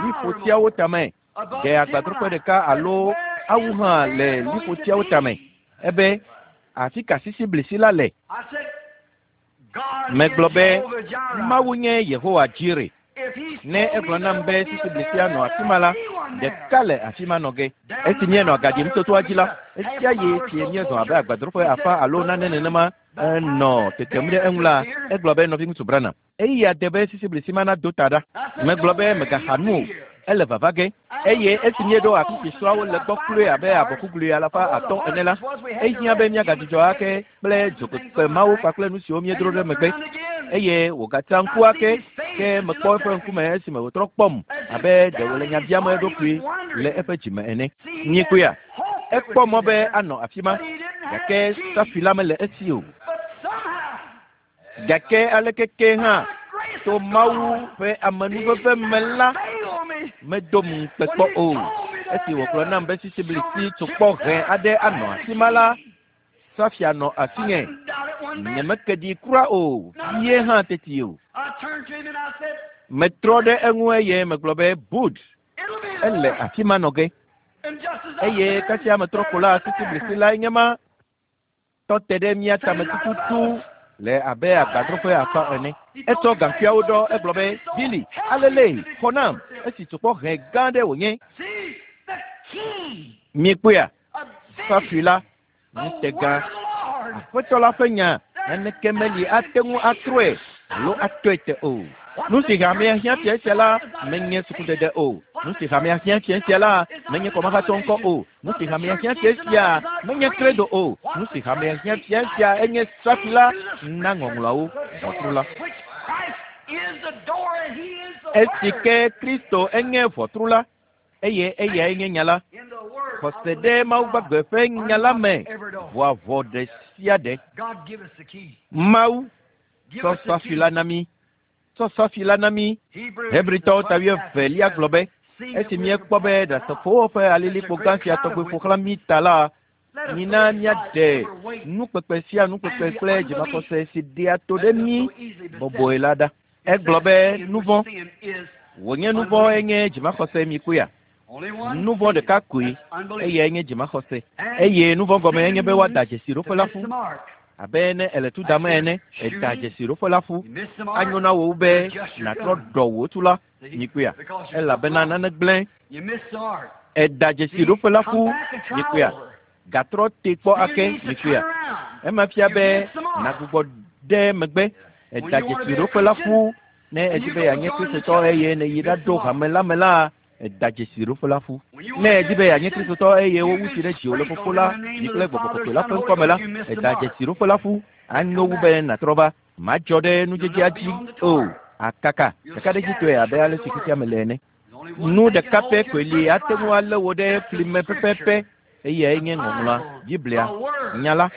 liƒotiawo tame. Ɖe agbadroƒe ɖeka alo awu hã le liƒotiawo tame. Ebe afi ka sisiblisi la le? Megblɔ be Mawu nye Yehowa Jire. Ne egblɔ nam be sisiblisia nɔ afi ma la, ɖeka le afi ma nɔ ge. Esi míenɔ agaɖim to toa dzi la, esia yi si míezɔ abe agbadroƒe afã alo nane nenema enɔ tetem ɖe eŋu la, egblɔ be nɔviŋutsu Branham, eya de be sisiblisi ma nado ta ɖa. Megblɔ be megaxa nu o, ele vava ge. Eye esi míeɖo afi si sɔawo le gbɔ kloe abe abɔkuglui alafa atɔ̃ ene la, ehiã be míagadzudzɔ ake kple dzokpekpe mawo kpakple nu siwo míedro ɖe megbe. Eye wògatsa ŋku ake ke mekpɔ eƒe ŋkume esime wòtrɔ kpɔm abe ɖe wòle nya biam eɖokui le eƒe dzime ene. Míekpɔea? Ekpɔ mɔ be anɔ afi ma gake safui la mele esi o. Gake aleke ke hã to Mawu ƒe amenuveve me la, medom ŋukpe kpɔ o. Esi wògblɔ nam be sisiblisi tsokpɔ hẽ aɖe anɔ afi ma la, safia nɔ asinye. Nyemeke ɖi kura o, vie hã teti o. Metrɔ ɖe eŋu eye megblɔ be Bud, ele afi ma nɔ ge. Eye kasia metrɔ ko la, sisiblisi lae nye ma tɔ te ɖe mía tame tututu le abe agbadroƒe afã ene. Etsɔ gaŋkuiawo ɖɔ egblɔ be Billy, alele xɔ nam esi tsokpɔ hẽ gã ɖe wònye. Míekpɔea? Safui la, ŋutega, Aƒetɔ la ƒe nya naneke meli ate ŋu atrɔe alo atɔe te o. Nu si hamea hiã fia sia la menye sukudede o. Nu si hamea hiã fia sia la menye kɔmahatsɔ ŋkɔ o. Nu si hamea hiã fia sia menye credo o. Nu si hamea hiã fia sia enye safui la na ŋɔŋlɔawo ʋɔtru la. Esi ke Kristo enye ʋɔtru la eye eyae nye nya la. Xɔse ɖe Mawu gbagbe ƒe nya la me ʋua ʋɔ ɖe sia ɖe. Mawu tsɔ safi la na mí. Tsɔ safi la na mí. Hebritɔwo ta wuievelia gblɔ be esi míekpɔ be ɖasefowo ƒe alilikpo gã sia tɔgbe ƒo xlã mí ta la, mina míaɖe nukpekpe sia nukpekpe kple dzimaxɔse si ɖea to ɖe mí bɔbɔe la ɖa. Egblɔ be nuvɔ̃ wònye nuvɔ̃ enye dzimaxɔse mi koea. Nuvɔ̃ ɖeka koe eyae nye dzimaxɔse. Eye nuvɔ̃ gɔme enye be woada dzesi ɖoƒe la ƒu. Abe ne ele tu dam ene, eda dzesi ɖoƒe la ƒu. Anyo na wò be nàtrɔ ɖɔ wò tu la mi koea. Elabena nane gblẽ. Eda dzesi ɖoƒe la ƒu mi koea. Gatrɔ te kpɔ ake mi koea. Ema fia be nàgbugbɔ ɖe megbe. Eda dzesi ɖoƒe la ƒu ne edi be yeanye Kristotɔ eye neyi ɖaɖo hame la me la, eda dzesi ɖoƒe la ƒu. Ne edi be yeanye Kristotɔ eye wowu tsi ɖe dziwò le Fofo la, Vi kple Gbɔgbɔ Kɔkɔe la ƒe ŋkɔme la, eda dzesi ɖoƒe la ƒu. Anyo wu be nàtrɔ va. Madzɔ ɖe nudzedzea dzi o. Akaka ɖekaɖedzitɔe abe ale si xexea me le ene. Nu ɖeka pɛ koe li ate ŋu alé wò ɖe fli me pɛpɛpɛ. Eyae nye ŋɔŋlɔa, Biblia, nya la.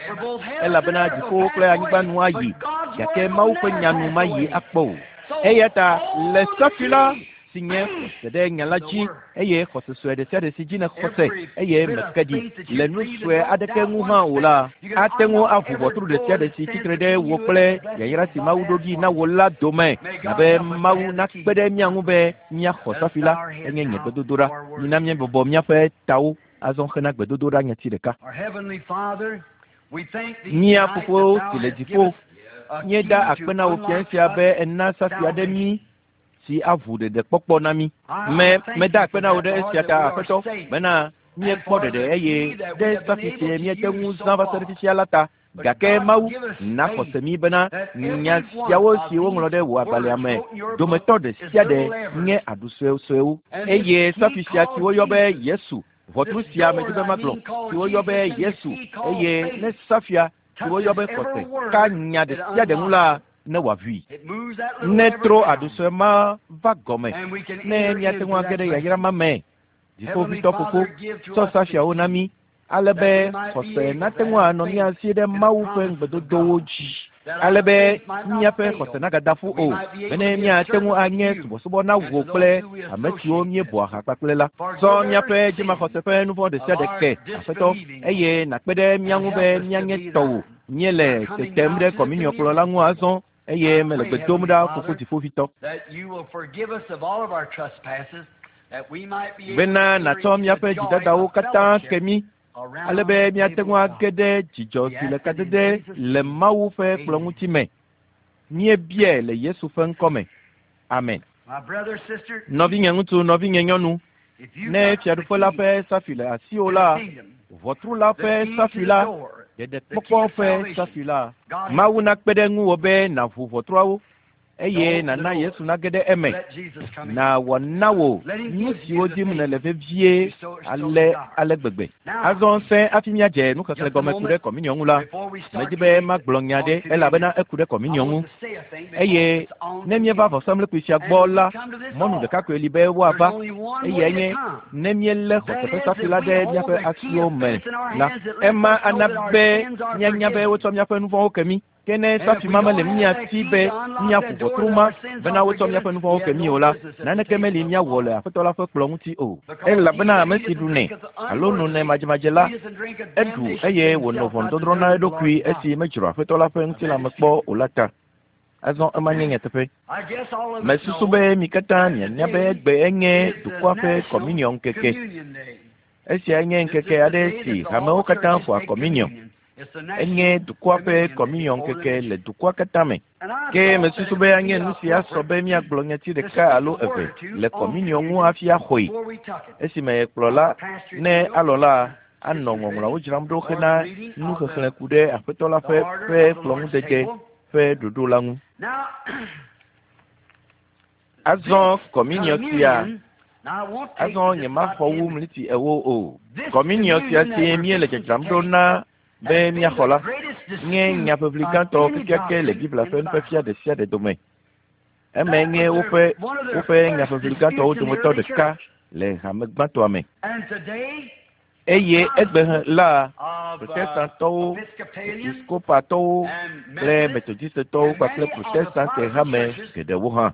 Elabena dziƒowo kple anyigba nu ayi, gake Mawu ƒe nya nu mayi akpɔ o. Eya ta le safi la si nye xɔse ɖe nya la dzi eye xɔse sue ɖe sia ɖe si dzi nèxɔ se eye meke ɖi le nu sue aɖeke ŋu hã o la, ate ŋu aʋu ʋɔtru ɖe sia ɖe si tsitre ɖe wò kple yayra si Mawu ɖo ɖi na wò la dome. Abe Mawu nakpe ɖe mía ŋu be míaxɔ safi la, enye nye gbedodoɖa. Mina míebɔbɔ míaƒe tawo azɔ hena gbedodoɖa nyati ɖeka. Mía Fofo si le dziƒo, míeda akpe na wò fia sia be ena safi aɖe mí si aʋu ɖeɖekpɔkpɔ na mí. Me meda akpe na wò ɖe esia ta Aƒetɔ bena míekpɔ ɖeɖe eye ɖe safi sie míete ŋu zã va se ɖe fifia la ta. Gake Mawu na xɔse mí bena nya siawo si woŋlɔ ɖe wò agbalẽa me dometɔ ɖe sia ɖe nye aɖu suesuewo. Eye safi sia si woyɔ be Yesu, ʋɔtru sia medi be magblɔ, si woyɔ be Yesu, eye ne safia si woyɔ be xɔse ka nya ɖe sia ɖe ŋu la, ne wòaʋui. Ne trɔ aɖu sue ma va gɔme, ne míate ŋu age ɖe yayra ma me. Dziƒoʋĩtɔ Fofo, tsɔ safiawo na mí, ale be xɔse nate ŋu anɔ mía si ɖe Mawu ƒe ŋugbedodowo dzi. Ale be míaƒe xɔse nagada ƒu o, bene míate ŋu anye subɔsubɔ na wò kple ame siwo míebɔa ha kpakple la. Tsɔ míaƒe dzimaxɔse ƒe nuvɔ̃ ɖe sia ɖe ke, Aƒetɔ, eye nàkpe ɖe mía ŋu be míanye tɔwò. Míele tetem ɖe kɔminiɔkplɔ la ŋu azɔ eye mele gbe dom ɖa Fofo Dziƒoʋĩtɔ. Bena nàtsɔ míaƒe dzidadawo katã ke mí, ale be míate ŋu age ɖe dzidzɔ si le kadede le Mawu ƒe kplɔ̃ ŋuti me. Míebiae le Yesu ƒe ŋkɔme. Amen. Nɔvinye ŋutsu, nɔvinye nyɔnu, ne fiaɖuƒe la ƒe safi le asiwò la, ʋɔtru la ƒe safi la, ɖeɖekpɔkpɔ ƒe safi la, Mawu nakpe ɖe ŋuwò be nàʋu ʋɔtruawo eye nàna Yesu nage ɖe eme. Nàwɔ na wò nu siwo dim nèle vevie ale ale gbegbe. Azɔ sẽ hafi míadze nuxexlẽ gɔme ku ɖe kɔminiɔ ŋu la, medi be magblɔ nya ɖe elabena eku ɖe kɔminiɔ ŋu. Eye ne míeva vɔsamlekpui sia gbɔ la, mɔnu ɖeka koe li be woava. Eyae nye ne míelé xɔse ƒe safi la ɖe míaƒe asiwo me la, ema ana be míanya be wotsɔ míaƒe nuvɔ̃wo ke mí. Ke ne safi ma mele mía si be míaƒu ʋɔtru ma bena wotsɔ míaƒe nuvɔ̃wo ke mí o la, naneke meli míawɔ le Aƒetɔ la ƒe kplɔ̃ ŋuti o. Elabena ame si ɖunɛ alo nonɛ madzemadze la, eɖu eye wònɔ ʋɔnudɔdrɔ̃ na eɖokui esi medzro Aƒetɔ la ƒe ŋutilãme kpɔ o la ta. Azɔ ema nye nyateƒe. Mesusu be mi katã mianya be egbe enye dukɔa ƒe kɔminiɔ ŋkeke. Esia nye ŋkeke aɖe si hamewo katã xɔa kɔminiɔ. Enye dukɔa ƒe kɔminiɔ ŋkeke le dukɔa katã me. Ke mesusu be anye nu si asɔ be míagblɔ nyati ɖeka alo eve le kɔminiɔ ŋu hafi axɔe. Esime kplɔla ne alɔ la anɔ ŋɔŋlɔawo dzram ɖo hena nuxexlẽ ku ɖe Aƒetɔ la ƒe ƒe kplɔ̃ŋudede ƒe ɖoɖo la ŋu. Azɔ kɔminiɔ sia, azɔ nyemaxɔ wu mliti ewo o. Kɔminiɔ sia si míele dzadzram ɖo na be míaxɔ la, nye nyaʋiʋli gãtɔ kekeake le Biblia ƒe nufiafia ɖe sia ɖe dome. Emae nye woƒe woƒe nyaʋiʋli gãtɔwo dometɔ ɖeka le hame gbãtɔa me. Eye egbe la Protestantɔwo, Episkopatɔwo kple Metodistetɔwo kpakple Protestante hame geɖewo hã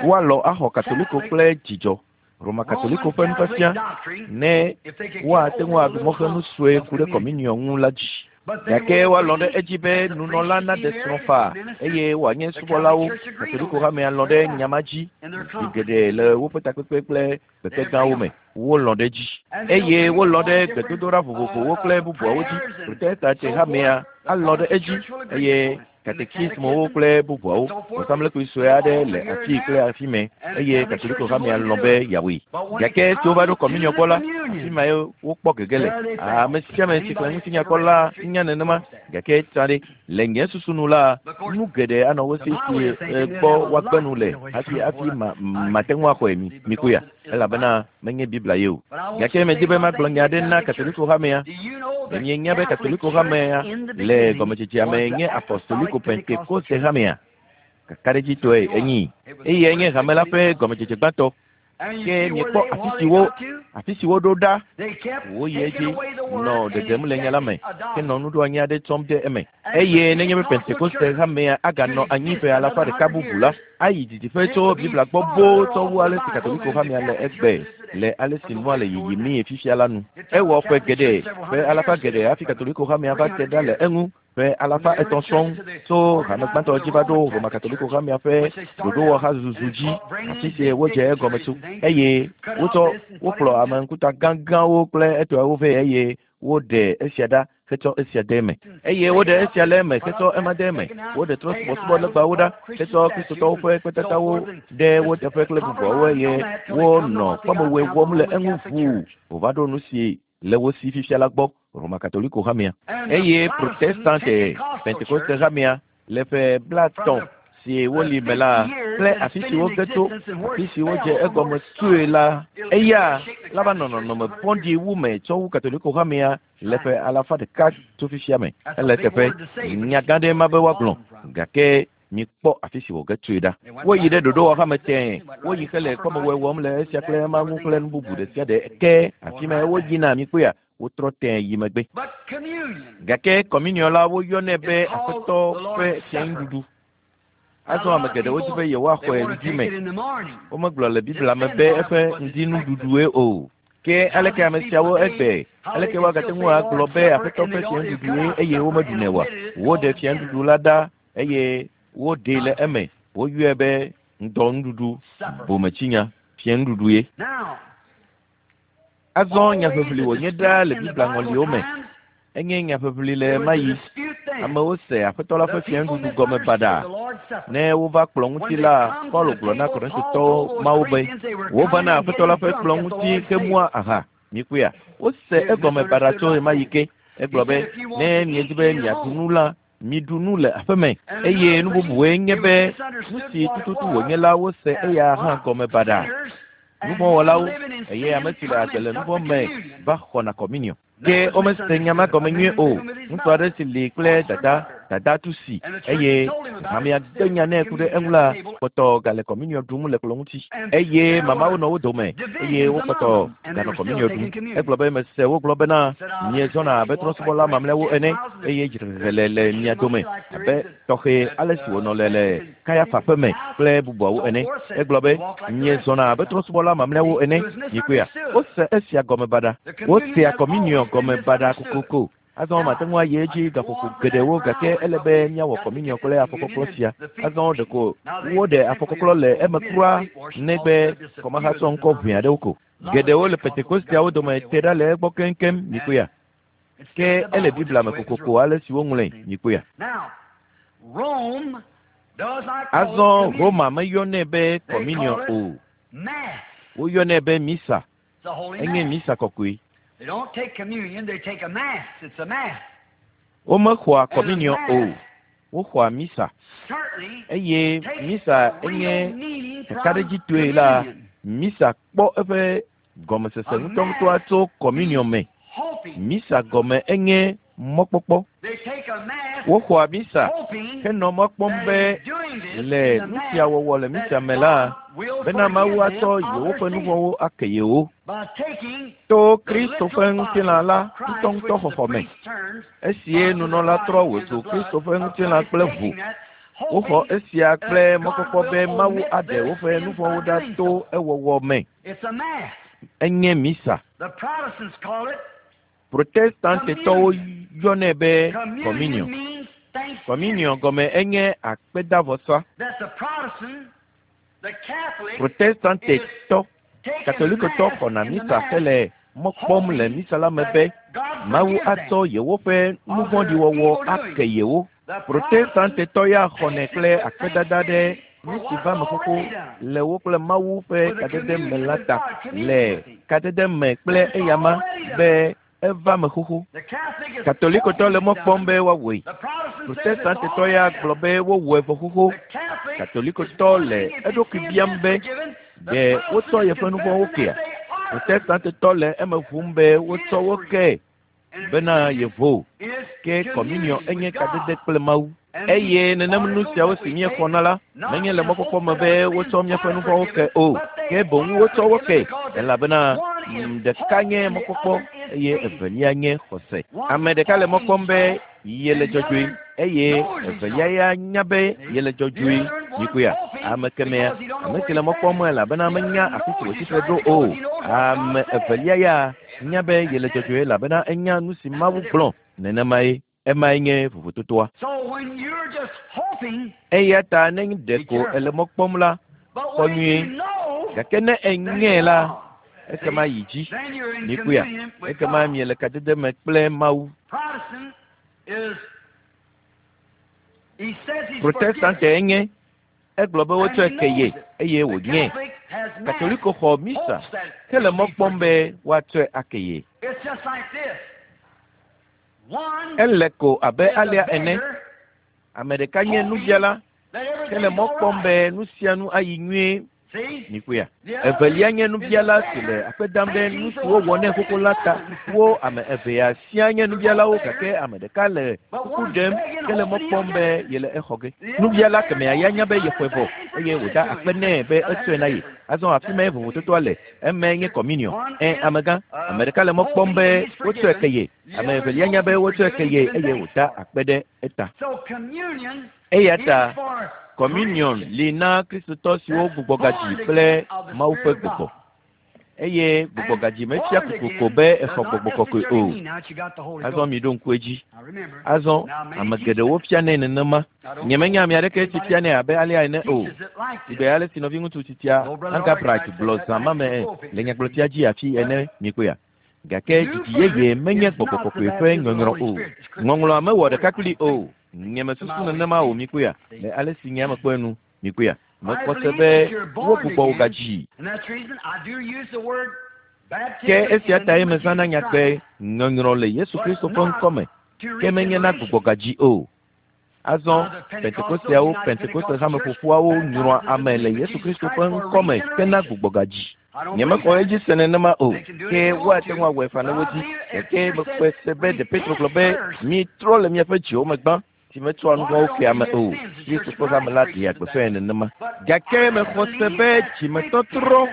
woalɔ axɔ Katoliko kple dzidzɔ Roma Katoliko ƒe nufiafia ne woate ŋu aɖu mɔxenu sue ku ɖe kɔminiɔ ŋu la dzi. Gake woalɔ̃ ɖe edzi be nunɔla naɖe srɔ̃ faa eye wòanye subɔlawo. Katoliko hamea lɔ̃ ɖe nya ma dzi zi geɖe le woƒe takpekpe kple kpekpe me. Wolɔ̃ ɖe edzi eye wolɔ̃ ɖe gbedodoɖa vovovowo kple bubuawo dzi. Protestante hamea alɔ̃ ɖe edzi eye katekismowo kple bubuawo. Vɔsamlekpui sue aɖe le afii kple afi mɛ eye Katoliko hamea lɔ̃ be yeawɔe. Gake esi wova ɖo kɔminiɔ gbɔ la, afi mae wokpɔ gege le. Ame sia ame si xlẽ ŋutinya kpɔ la nya nenema. Gake tsã ɖe, le nye susu nu la, nu geɖe anɔ wo si si gbɔ woagbe nu le hafi hafi ma mate ŋu axɔe mi mikuya elabena menye Biblia ye o. Gake medi be magblɔ nya aɖe na Katoliko hamea. Mienya be Katoliko hamea le gɔmedzedzea me nye Apostoliko Pentekoste hamea. Kakaɖedzitɔe enyi eye enye hame la ƒe gɔmedzedze gbãtɔ. Ke miekpɔ afi siwo afi si woɖo ɖa woyi edzi nɔ ɖeɖem le nya la me ke nɔ nuɖoanyi aɖe tsɔm de eme. Eye nenye be Pentekoste hamea aganɔ anyi ƒe alafa ɖeka bubu la, ayi didiƒe tso Biblia gbɔ boo tsɔ wu ale si Katoliko hamea le egbe le ale si nua le yiyimii fifia la nu. Ewɔ ƒe geɖe, ƒe alafa geɖe hafi Katoliko hamea va te ɖa le eŋu. Ƒe alafa etɔ̃ sɔŋ tso hame gbãtɔ dzi va ɖo Roma Katoliko hamea ƒe ɖoɖowɔha zuzu dzi, afi si wodze egɔme tso. Eye wotsɔ wokplɔ ame ŋkuta gãgãwo kple etɔawo vɛ eye woɖe esia ɖa hetsɔ esia de eme. Eye woɖe esia le eme hetsɔ ema de eme. Woɖe trɔ̃subɔsubɔ legbawo ɖa hetsɔ Kristotɔwo ƒe kpetatawo ɖe wo teƒe kple bubuawo eye wonɔ kpɔmewɔe wɔm le eŋu ʋuu wòva ɖo nu si le wo si fifia la gbɔ. Roma Katoliko hamea eye Protestante Pentekoste hamea le ƒe blaetɔ̃ si woli me la kple afi si woge tso afi si wodze egɔme tsoe la eya la va nɔ nɔnɔme vɔ̃ɖi wu me tsɔ wu Katoliko hamea le ƒe alafa ɖeka tso fifia me. Ele teƒe nya gã ɖe ma be woagblɔ gake mikpɔ afi si wòge tsoe ɖa. Woyi ɖe ɖoɖowɔha me tẽe. Woyi hele kpɔmewɔe wɔm le esia kple ema ŋu kple nu bubu ɖe sia ɖe ke afi ma woyina mikpɔea wotrɔ tẽe yi megbe. Gake kɔminiɔ la woyɔnɛ be Aƒetɔ ƒe fianuɖuɖu. Azɔ ame geɖewo di be yewoaxɔe ŋdi me. Womegblɔ le Biblia me be eƒe ŋdinuɖuɖue o. Ke aleke ame siawo egbe aleke woagate ŋu agblɔ be Aƒetɔ ƒe fianuɖuɖue eye womeɖunɛ oa? Woɖe fianuɖuɖu la ɖa eye woɖee le eme. Woyɔe be ŋdɔnuɖuɖu, bometsinya, fianuɖuɖu ye. Azɔ nyaʋiʋli wònye ɖaa le Biblia ŋɔliwo me. Enye nyaʋiʋli le ɣe ma ɣi. Amewo se Aƒetɔ la ƒe fianuɖuɖu gɔme baɖa. Ne wova kplɔ̃ ŋuti la, Paulo gblɔ na Korintotɔwo mawo be wova na Aƒetɔ la ƒe kplɔ̃ ŋuti hemua aha. Mikpɔea, wose egɔme baɖa tso ɣe ma ɣi ke. Egblɔ be ne miedi be miaɖu nu la, miɖu nu le aƒeme. Eye nu bubuwoe nye be nu si tututu wònye la wose eya hã gɔme baɖa. Nuvɔ̃wɔlawo eye ame si le agbe le nuvɔ̃ me va xɔna kɔminiɔ. Ke womese nya ma gɔme nyuie o. Ŋutsu aɖe si li kple dada, dada tu si eye hamea gbe nya nɛ ku ɖe eŋu la kpɔtɔ gale kɔminiɔ ɖum le kplɔ̃ ŋuti. Eye mamawo nɔ wo dome eye wokpɔtɔ ganɔ kɔminiɔ ɖum. Egblɔ be mese wogblɔ bena miezɔna abe trɔ̃subɔla mamlɛawo ene eye dzrehehe le le mia dome abe tɔxɛ ale si wònɔ le le Kayafa ƒe me kple bubuawo ene. Egblɔ be miezɔna abe trɔ̃subɔla mamlɛawo ene. Mikpɔea, wose esia gɔme baɖa. Wosea kɔminiɔ gɔme baɖa kokoko. Azɔ mate ŋu ayi edzi gaƒoƒo geɖewo gake ele be míawɔ kɔminiɔ kple afɔkɔklɔ sia. Azɔ ɖeko woɖe afɔkɔklɔ le eme kura negbe kɔmahatsɔ ŋkɔ ʋɛ aɖewo ko. Geɖewo le Pentekosteawo dome te ɖa le egbɔ keŋkeŋ mikpɔea. Ke ele Biblia me kokoko ale si woŋlɔe mikpɔea. Azɔ Roma meyɔnɛ be kɔminiɔ o. Woyɔnɛ be misa. Enye misa kɔkɔe. Womexɔa kɔminiɔ o. Woxɔa misa. Eye misa enye kakaɖedzitɔe la, misa kpɔ eƒe gɔmesese ŋutɔŋutɔa tso kɔminiɔ me. Misa gɔme enye mɔkpɔkpɔ. Woxɔa misa henɔ mɔ kpɔm be Le nu sia wɔwɔ le misa me la, bena Mawu atsɔ yewoƒe nu vɔ̃wo ake yewo to Kristo ƒe ŋutilã la ŋutɔŋutɔ xɔxɔ me. Esie nunɔla trɔ wòzu Kristo ƒe ŋutilã kple ʋu. Woxɔ esia kple mɔkpɔkpɔ be Mawu aɖe woƒe nu vɔ̃wo ɖa to ewɔwɔ me. Enye misa. Protestantetɔwo yɔnɛ be communion. Communion gɔme enye akpedavɔsa. Protestantetɔ Katolikotɔ xɔna misa hele mɔ kpɔm le misa la me be Mawu atsɔ yewoƒe nu vɔ̃ɖi wɔwɔ ake yewo. Protestantetɔ ya xɔnɛ kple akpedada ɖe nu si va me xoxo le wo kple Mawu ƒe kadede me la ta le kadede me kple eyama be eva me xoxo. Katolikotɔ le mɔ kpɔm be woawɔe. Protestantetɔ ya gblɔ be wowɔe vɔ xoxo. Katolikotɔ le eɖokui biam be ɖe wotsɔ yeƒe nu vɔ̃wo kea? Protestantetɔ le eme ʋum be wotsɔ wo ke bena yevo. Ke communion enye kadede kple Mawu. Eye nenem nu siawo si míexɔna la menye le mɔkpɔkpɔ me be wotsɔ míaƒe nu vɔ̃wo ke o, ke boŋ wotsɔ wo ke elabena ɖeka nye mɔkpɔkpɔ eye evelia nye xɔse. Ame ɖeka le mɔ kpɔm be yele dzɔdzɔe eye evelia ya nya be yele dzɔdzɔe. Mikpɔea, ame kemea, ame si le mɔ kpɔm elabena menya afi si wòtsi tre ɖo o. Ame evelia ya nya be yele dzɔdzɔe elabena enya nu si Mawu gblɔ. Nenemae. Emae nye vovototoa. Eya ta ne ɖeko ele mɔ kpɔm la, kpɔ nyuie. Gake ne enyae la, ekema yi dzi. Mikpɔea, ekema miele kadede me kple Mawu. Protestante enye. Egblɔ be wotsɔe ke ye eye wònyae. Katoliko xɔ misa hele mɔ kpɔm be woatsɔe ake ye. Ele ko abe alea ene. Ame ɖeka nye nubiala hele mɔ kpɔm be nu sia nu ayi nyuie. Mikpɔea, evelia nye nubiala si le akpe dam ɖe nu si wowɔ nɛ xoxo la ta. Wo ame evea sia nye nubialawo gake ame ɖeka le kuku ɖem hele mɔ kpɔm be yele exɔ ge. Nubiala kemɛa ya nya be yexɔe vɔ eye wòda akpe nɛ be etsɔe na ye. Azɔ afi mae vovototoa le. Emae nye communion. Ẽ amegã, ame ɖeka le mɔ kpɔm be wotsɔe ke ye. Ame evelia nya be wotsɔe ke ye eye wòda akpe ɖe eta. Eya ta communion li na Kristotɔ siwo gbugbɔgadzi kple Mawu ƒe gbɔgbɔ. Eye gbugbɔgadzi mefia kokoko be exɔ gbɔgbɔ kɔkɔe o. Azɔ mi ɖo ŋku edzi. Azɔ ame geɖewo fianɛ nenema. Nyemenya ame aɖeke si fianɛ abe alea ene o. Sigbe ale si nɔviŋutsu titia Angabright gblɔ zã ma me le nyagblɔtia dzi afi ene mikpɔea. Gake dzidzi yeye menye gbɔgbɔ kɔkɔe ƒe nyɔnyrɔ o. Ŋɔŋlɔa mewɔ ɖeka kpli o. Nyemesusu nenema o mikpɔea. Le ale si nye ame kpɔe nu mikpɔea. Mekpɔ se be wogbugbɔ wo gadzi. Ke esia tae mezãna nyagbe nyɔnyrɔ le Yesu Kristo ƒe ŋkɔme, ke menye na gbugbɔgadzi o. Azɔ Pentekosteawo, Pentekoste hameƒoƒuawo nyrɔa ame le Yesu Kristo ƒe ŋkɔme hena gbugbɔgadzi. Nyemexɔ edzi se nenema o, ke woate ŋu awɔe faa ne wodi. Gake mekpɔe se be ɖe Petro gblɔ be mitrɔ le miaƒe dziwo me gbã si metsɔa nu vɔ̃wo kea ame o. Kristo ƒe hame la ɖea gbeƒãe nenema. Gake mexɔ se be dzimetɔtrɔ,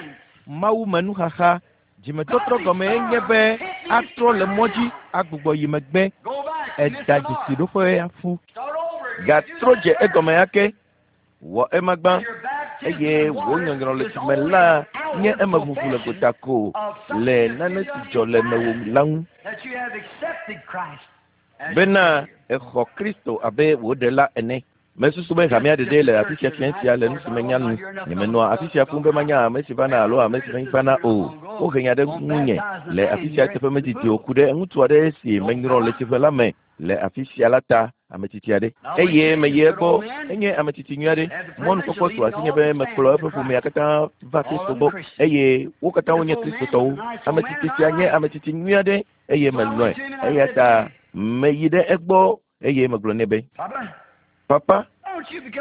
Mawu me nuxaxa, dzimetɔtrɔ gɔme enye be atrɔ le mɔ dzi agbugbɔ yi megbe. Eda dzesiɖoƒe aƒu. Gatrɔ dze egɔme ake. Wɔ ema gbã eye wò nyɔnyrɔ le dzime la nye emeʋuʋu le gota ko le nane si dzɔ le mewò la ŋu. Bena exɔ Kristo abe wò ɖela ene. Mesusu be hamea ɖeɖe le afi sia fia sia le nu si menya nu. Nyemenɔa afi sia fũu be manya ame si vana alo ame si mevana o. Wohe nya ɖe ŋunye le afi sia teƒe medidi o ku ɖe ŋutsu aɖe si menyrɔ le tsiƒe la me le afi sia la ta ame tsitsi aɖe. Eye meyi egbɔ, enye ame tsitsi nyui aɖe. Mɔnukpɔkpɔ su asinye be mekplɔ eƒe ƒomea katã va Kristo gbɔ eye wo katã wonye Kristotɔwo. Ame tsitsi sia nye ame tsitsi nyui aɖe eye melɔ̃e. Eya ta meyi ɖe egbɔ eye megblɔ nɛ be, Papa,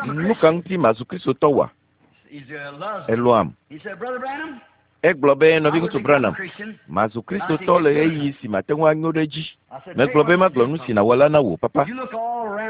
nu ka ŋuti mazu Kristotɔ wa? Elɔ̃am. Egblɔ be nɔviŋutsu Branham, mazu Kristotɔ le ɣeyiɣi si mate ŋu anyo ɖe edzi. Megblɔ be magblɔ nu si nàwɔ la na wò, papa.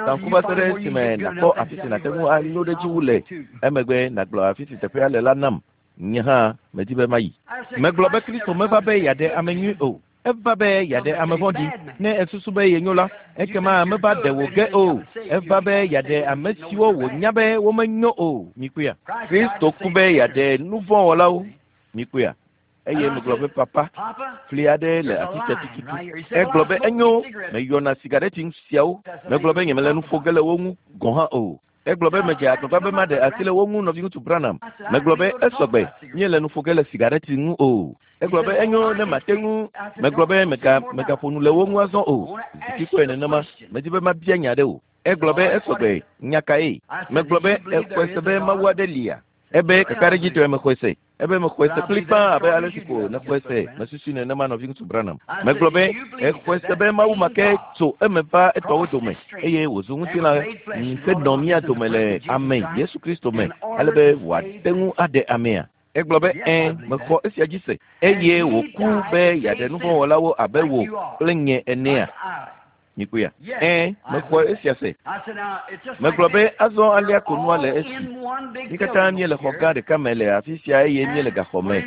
Zã ŋku va se ɖe esime nàkpɔ afi si nàte ŋu anyo ɖe edzi wu le. Emegbe nàgblɔ afi si teƒea le la nam. Nye hã medi be mayi. Megblɔ be Kristo meva be yeaɖe ame nyui o. Eva be yeaɖe ame vɔ̃ɖi. Ne esusu be yenyo la, ekema meva ɖe wò ge o. Eva be yeaɖe ame siwo wònya be womenyo o. Mikpɔea? Kristo ku be yeaɖe nu vɔ̃ wɔlawo. Mikpɔea? Eye megblɔ be papa, fli aɖe le afi sia tututu. Egblɔ be enyo, meyɔna sigareti siawo. Megblɔ be nyemele nu ƒo ge le wo ŋu gɔ̃ hã o. Egblɔ be medze agbagba be maɖe asi le wo ŋu nɔviŋutsu Branham. Megblɔ be esɔgbe, míele nu ƒo ge le sigareti ŋu o. Egblɔ be enyo ne mate ŋu. Megblɔ be mega megaƒo nu le wo ŋu azɔ o. Zikpui nenema, medi be mabia nya ɖe o. Egblɔ be esɔgbe, nya kae? Megblɔ be exɔe se be Mawu aɖe lia. Ebe kakaɖedzitɔe mexɔe se. Ebe mexɔe se kplikpaa abe ale si ko nexɔe se. Mesusui nenema nɔviŋutsu Branham. Megblɔ be exɔe se be Mawu ma ke tso eme va etɔwo dome eye wòzu ŋutilã henɔ mía dome le ame Yesu Kristo me ale be wòate ŋu aɖe amea. Egblɔ be ɛ̃, mexɔ esia dzi se eye wòku be yeaɖe nu vɔ̃ wɔlawo abe wò kple nye enea. Mikpɔea? Ɛ̃, mexɔ esia se. Megblɔ be azɔ alea ko nua le esi. Mí katã míele xɔ gã ɖeka me le afi sia eye míele gaxɔ me.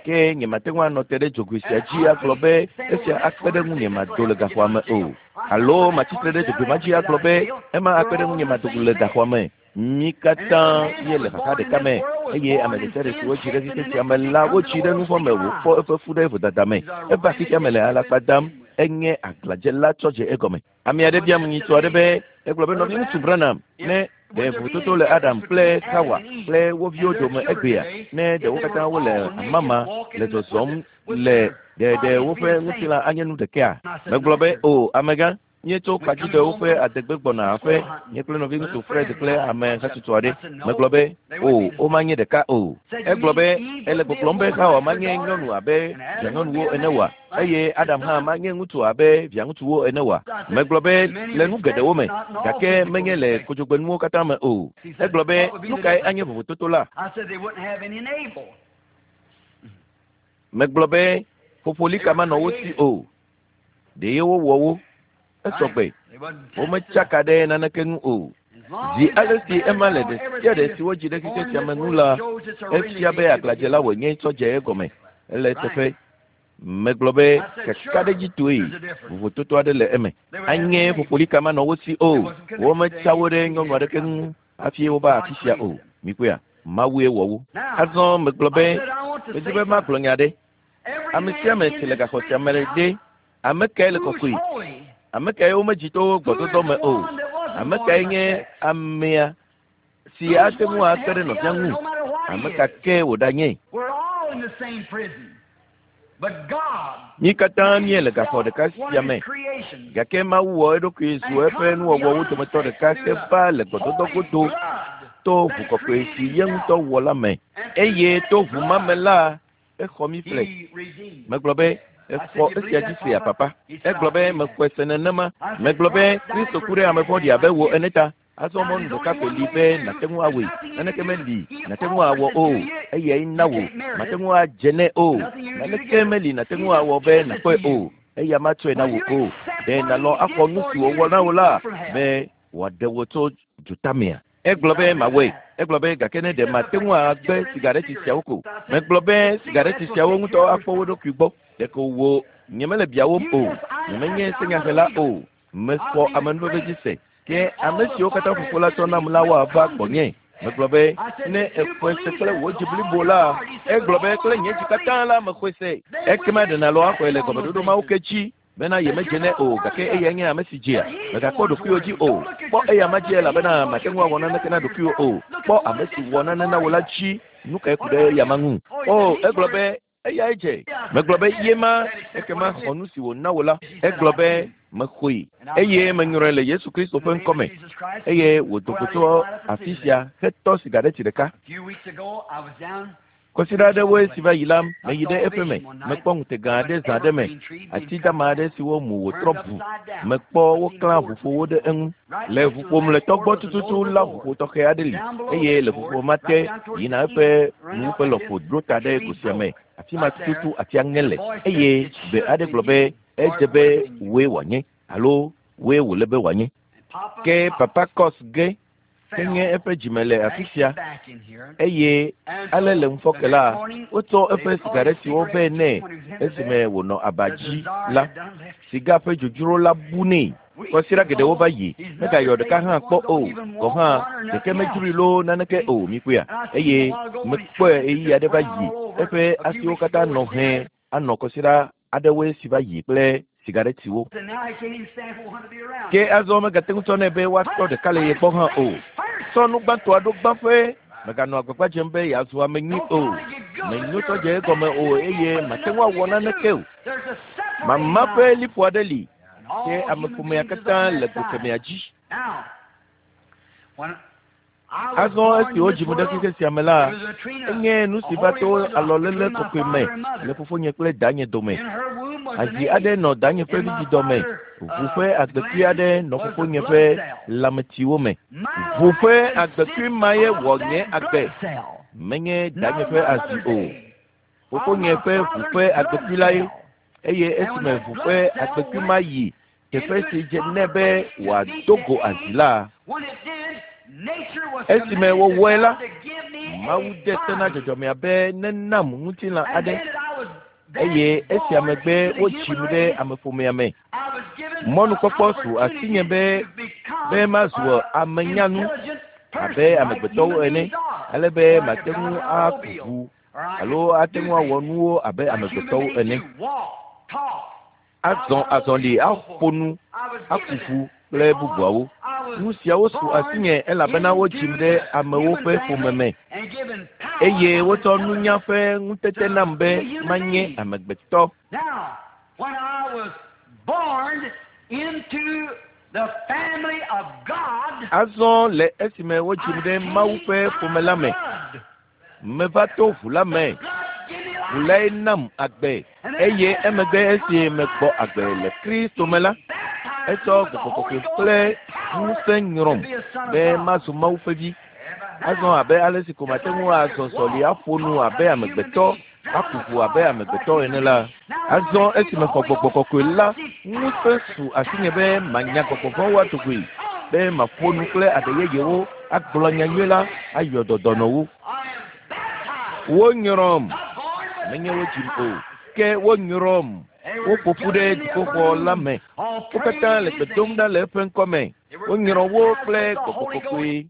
Ke nyemate ŋu anɔ te ɖe dzogoe sia dzi agblɔ be esia akpe ɖe ŋunye mado le gaxɔa me o. Alo matsitre ɖe dzogoe ma dzi agblɔ be ema akpe ɖe ŋunye mado le gaxɔa me. Mí katã míele xaxa ɖeka me eye ame ɖe sia ɖe si wodzi ɖe xexe sia me la wodzi ɖe nu vɔ̃ me wòfɔ eƒe fu ɖe vodada me. Eva xexea me le alakpa dam. Enye aglãdzela tsɔ dze egɔme. Ame aɖe biam nyitɔ aɖe be egblɔ be nɔviŋutsu Branham ne ɖe vovototo le Adam kple Hawa kple wo viwo dome egbea ne ɖe wo katã wole amama le zɔzɔm le ɖe ɖe woƒe ŋutilã anye nu ɖekea? Megblɔ be o amegã, míetso kpadzidewo ƒe adegbe gbɔna aƒe nye kple nɔviŋutsu Fred kple ame hatsotso aɖe. Megblɔ be o womanye ɖeka o. Egblɔ be ele gbɔgblɔm be Hawa manye nyɔnu abe vianyɔnuwo ene oa? Eye Adam hã manye ŋutsu abe viaŋutsuwo ene oa? Megblɔ be le nu geɖewo me gake menye le kodzogbenuwo katã me o. Egblɔ be nu kae anye vovototo la? Megblɔ be ƒoƒolika manɔ wo si o. Ɖe wowɔ wo. Esɔgbe. Wometsaka ɖe naneke ŋu o. Zi ale si ema le ɖe sia ɖe si wodzi ɖe xexe sia me ŋu la, efia be aglãdzela wònye tsɔ dze egɔme. Ele eteƒe. Megblɔ be kakaɖedzitɔe vovototo aɖe le eme. Anye ƒoƒolika manɔ wo si o. Wometsa wo ɖe nyɔnu aɖeke ŋu hafi wova afi sia o. Mikpɔea? Mawue wɔ wo. Azɔ megblɔ be medi be magblɔ nya ɖe. Ame sia ame si le gaxɔ sia me ɖe, ame kae le kɔkɔe? Ame kae womedzi to gbɔdɔdɔ me o? Ame kae nye amea si ate ŋu akpe ɖe nɔvia ŋu? Ame ka ke wòɖanye? Mí katã míele gaxɔ ɖeka sia me gake Mawu wɔ eɖokui zu eƒe nuwɔwɔwo dometɔ ɖeka heva le gbɔdɔdɔ godo to ʋu kɔkɔe si ye ŋutɔ wɔ la me eye to ʋu ma me la exɔ mí ƒle. Megblɔ be exɔ esia dzi sea papa. Egblɔ be mexɔe se nenema. Megblɔ be Kristo ku ɖe ame vɔ̃ɖi abe wò ene ta. Azɔ mɔnu ɖeka koe li be nàte ŋu awɔe. Naneke meli nàte ŋu awɔ o. Eyae na wò. Màte ŋu adze nɛ o. Naneke meli nàte ŋu awɔ be nàkpɔe o. Eya matsɔe na wò o. Ɖe nàlɔ̃ axɔ nu si wòwɔ na wò la be wòaɖe wò tso dzotamea? Egblɔ be mawɔe. Egblɔ be gake ne ɖe mate ŋu agbe sigareti siawo ko. Megblɔ be sigareti siawo ŋutɔ akpɔ wo ɖokui gbɔ. Ɖeko wò nyemele biawòm o. Nyemenye senyahela o. Mexɔ amenuveve dzi se. Ke ame siwo katã fofo la tsɔ nam la woava gbɔnye. Megblɔ be ne exɔe se kple wò dzi blibo la, egblɔ be kple nye dzi katã la mexɔe se. Ekema ɖe nàlɔ̃ axɔe le gɔmeɖoɖo mawo ke dzi bena yemedze nɛ o gake eyae nye ame si dzea. Mègakpɔ ɖokuiwò dzi o. Kpɔ eya ma dzi elabena màte ŋu awɔ naneke na ɖokuiwò o. Kpɔ ame si wɔ nane na wò la dzi. Nu kae ku ɖe eya ma ŋu? O, egblɔ be eyae dze. Megblɔ be ye ma ekema xɔ nu si wòna wò la. Egblɔ be mexɔe eye menyrɔe le Yesu Kristo ƒe ŋkɔme eye wòdo go tso afi sia hetɔ sigareti ɖeka. Kɔsiɖa aɖewoe si va yi la, meyi ɖe eƒe me. Mekpɔ ŋutega aɖe zã ɖe me. Ati dama aɖe siwo mu wòtrɔ bu. Mekpɔ woklã ʋuƒowo ɖe eŋu. Le ʋuƒo mlɔetɔ gbɔ tututu la ʋuƒo tɔxɛ aɖe li eye le ʋuƒo ma te yina eƒe nuwuƒe lɔƒo ɖo ta ɖe go sia me. Afi ma tututu atia ŋe le eye gbe aɖe gblɔ be edze be wòe wòanye alo wòe wòle be wòanye. Ke Papa Kos ge ke nye eƒe dzime le afi sia eye ale le ŋufɔke la wotsɔ eƒe sigaretiwo vɛ nɛ esime wònɔ aba dzi la siga ƒe dzodzro la bu nɛ. Kɔsiɖa geɖewo va yi megayɔ ɖeka hã kpɔ o gɔ hã ɖeke medzroe loo naneke o mikpɔea eye mekpɔe ɣeyiɣi aɖe va yi eƒe asiwo katã nɔ hẽ anɔ kɔsiɖa aɖewoe si va yi kple sigaretiwo. Ke azɔ megate ŋu tsɔ nɛ be woatɔ ɖeka le ye gbɔ hã o. Tsɔ nu gbãtɔa ɖo gbãƒe meganɔ agbagba dzem be yeazu ame nyui o. Menyotɔ dze egɔme o eye mate ŋu awɔ naneke o. Mama ƒe liƒo aɖe li ke ameƒomea katã le go kemɛa dzi. Azɔ esi wodzim ɖe xexe sia me la, enye nu si va to alɔlele kɔkɔe me le fofonye kple danye dome. Azi aɖe nɔ danye ƒe vidzidɔ me, ʋu ƒe agbekui aɖe nɔ fofonye ƒe lãmetiwo me. Ʋu ƒe agbekui ma ye wɔ nye agbe, menye danye ƒe azi o. Fofonye ƒe ʋu ƒe agbekui la ye, eye esime ʋu ƒe agbekui ma yi teƒe si dze nɛ be wòado go azi la, esime wòwɔe la, Mawu de se na dzɔdzɔmea be nenam ŋutilã aɖe eye esia megbe wodzim ɖe ameƒomea me. Mɔnukpɔkpɔ su asinye be be mazu ame nyanu abe amegbetɔwo ene ale be mate ŋu aku ʋu alo ate ŋu awɔ nuwo abe amegbetɔwo ene. Azɔ azɔli aƒo nu, aku ʋu kple bubuawo. Nu siawo su asinye elabena wodzim ɖe amewo ƒe ƒome me eye wotsɔ nunya ƒe ŋutete nam be manye amegbetɔ. Azɔ le esime wodzim ɖe Mawu ƒe ƒome la me, meva to ʋu la me. Ʋu lae nam agbe eye emegbe esi megbɔ agbe le Kristo me la, etsɔ gbɔgbɔ kɔkɔe kple ŋusẽ nyrɔm be mazu Mawu ƒe vi. Azɔ abe ale si ko mate ŋu azɔ zɔli aƒo nu abe amegbetɔ, aku ʋu abe amegbetɔ ene la, azɔ esi mexɔ gbɔgbɔ kɔkɔe la, ŋusẽ su asinye be manya gbɔgbɔ vɔ̃wo ado goe, be maƒo nu kple aɖe yeyewo, agblɔ nyanyui la, ayɔ dɔ dɔnɔwo. Wonyrɔm, menye wodzim o, ke wonyrɔm. Woƒo ƒu ɖe dziƒoxɔ la me. Wo katã le gbe dom ɖa le eƒe ŋkɔme. Wonyrɔ wo kple gbɔgbɔ kɔkɔe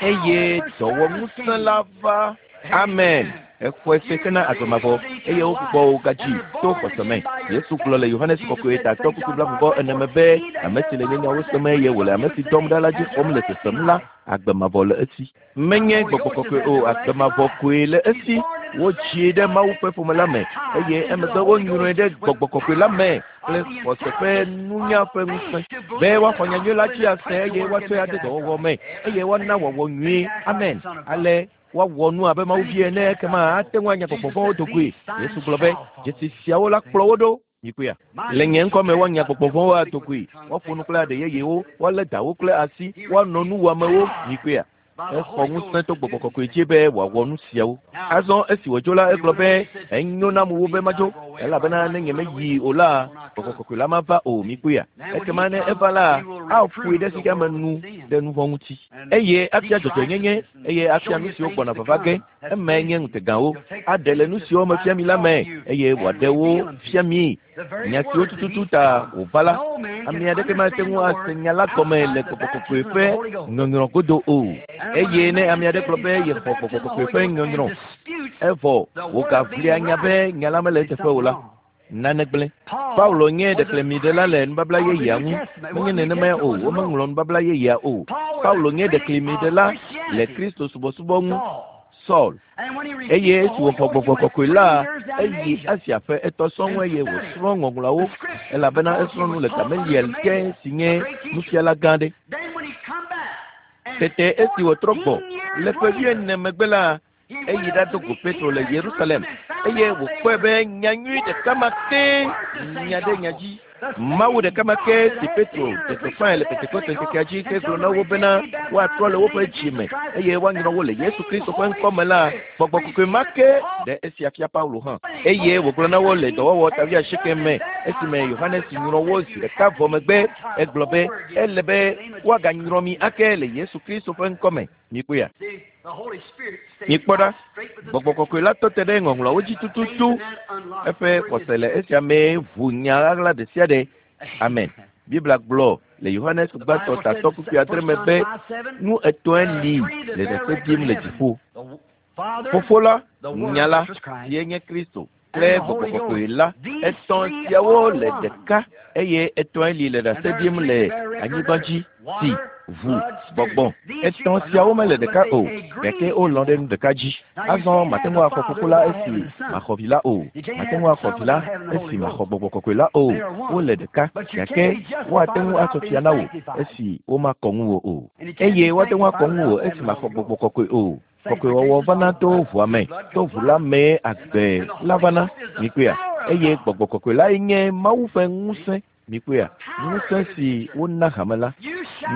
eye dɔwɔŋusẽ la va. Amen. Exɔe se hena agbe mavɔ eye wogbugbɔ wo gadzi to xɔse me. Yesu gblɔ le Yohanes kɔkɔe tatɔ kpukpui blaeve ene me be ame si le nye nyawo sem eye wòle ame si dɔm ɖa la dzi xɔm le sesem la, agbe mavɔ le esi. Menye gbɔgbɔ kɔkɔe o, agbe mavɔ koe le esi. Wodzii ɖe Mawu ƒe ƒome la me eye emegbe wonyrɔe ɖe gbɔgbɔ kɔkɔe la me kple xɔse ƒe nunya ƒe ŋusẽ be woaxɔ nyanyui la dzi ase eye woatsɔe ade dɔwɔwɔ me eye woana wɔwɔ nyuie. Amen. Ale woawɔ nu abe Mawu vi ene ekema ate ŋu anya gbɔgbɔ vɔ̃wo do goe. Yesu gblɔ be dzesi siawo la kplɔ wo ɖo. Mikpɔea? Le nye ŋkɔme woanya gbɔgbɔ vɔ̃wo ado goe, woaƒo nu kple aɖe yeyewo, woalé dawo kple asi, woanɔ nu wɔamewo. Mikpɔea? Exɔ ŋusẽ to gbɔgbɔ kɔkɔe dzi be wòawɔ nu siawo. Azɔ esi wòdzo la, egblɔ be enyo nam wu be madzo elabena ne nyemeyi o la, gbɔgbɔ kɔkɔe la mava o. Mikpɔea? Ekema ne eva la, aƒoe ɖe xexea me nu ɖe nu vɔ̃ ŋuti eye afia dzɔdzɔenyenye eye afia nu siwo gbɔna vava ge. Emae nye ŋutegawo. Aɖe le nu siwo mefia mi la me eye wòaɖe wo fia mi. Nya siwo tututu ta wòva la, ame aɖeke mate ŋu ase nya la gɔme le gbɔgbɔ kɔkɔe ƒe nyɔnyrɔ godo o. Eye ne ame aɖe gblɔ be yexɔ gbɔgbɔ kɔkɔe ƒe nyɔnyrɔ evɔ wògaʋlia nya be nya la mele eteƒe o la, nane gblẽ. Paulo nye ɖeklemiɖela le nubabla yeyea ŋu. Menye nenemae o, womeŋlɔ nubabla yeyea o. Paulo nye ɖeklemiɖela le Kristo subɔsubɔ ŋu. Saul. Eye esi wòxɔ gbɔgbɔ kɔkɔe la, eyi Asia ƒe etɔ̃ sɔŋ eye wòsrɔ̃ ŋɔŋlɔawo elabena esrɔ̃ nu le Gamaliel ke si nye nufiala gã aɖe. Tete esi wòtrɔ gbɔ le ƒe wuiene megbe la, eyi ɖado go Petro le Yerusalem eye wòkpɔe be nyanyui ɖeka ma ke nya ɖe nya dzi. Mawu ɖeka ma ke si Petro ɖe gbeƒãe le Pentekoste ŋkekea dzi hegblɔ na wo bena woatrɔ le woƒe dzi me eye woanyrɔ wo le Yesu Kristo ƒe ŋkɔ me la, Gbɔgbɔ Kɔkɔe ma ke ɖe esia fia Paulo hã. Eye wògblɔ na wo le dɔwɔwɔ ta wuiasieke me esime Yohanes nyrɔ wo zi ɖeka vɔ megbe, egblɔ be ele be woaganyrɔ mi ake le Yesu Kristo ƒe ŋkɔ me. Mikpɔea? Mikpɔ ɖa, Gbɔgbɔ Kɔkɔe la tɔ te ɖe ŋɔŋlɔawo dzi tututu. Eƒe xɔse le esia mee ʋu nya ɣaɣla ɖe sia ɖe. Amen. Biblia gblɔ le Yohanes gbãtɔ tatɔ kpukpui adre me be nu etɔ̃e li le ɖase ɖim le dziƒo. Fofo la, Nya la, sie nye Kristo, kple Gbɔgbɔ Kɔkɔe la. Etɔ̃ siawo le ɖeka eye etɔ̃e li le ɖase ɖim le anyigba dzi, si, ʋu, gbɔgbɔ. Etɔ̃ siawo mele ɖeka o, gake wolɔ̃ ɖe nu ɖeka dzi. Azɔ mate ŋu axɔ Fofo la esi maxɔ Vi la o. Mate ŋu axɔ Vi la esi maxɔ Gbɔgbɔ Kɔkɔe la o. Wole ɖeka, gake woate ŋu atsɔ fia na wò esi womakɔ ŋuwò o. Eye woate ŋu akɔ ŋuwò esi maxɔ Gbɔgbɔ Kɔkɔe o. Kɔkɔewɔwɔ vana to ʋua me, to ʋu la mee agbe la vana. Mikpɔea? Eye Gbɔgbɔ Kɔkɔe lae nye Mawu ƒe ŋusẽ. Mikpɔea? Ŋusẽ si wona hame la.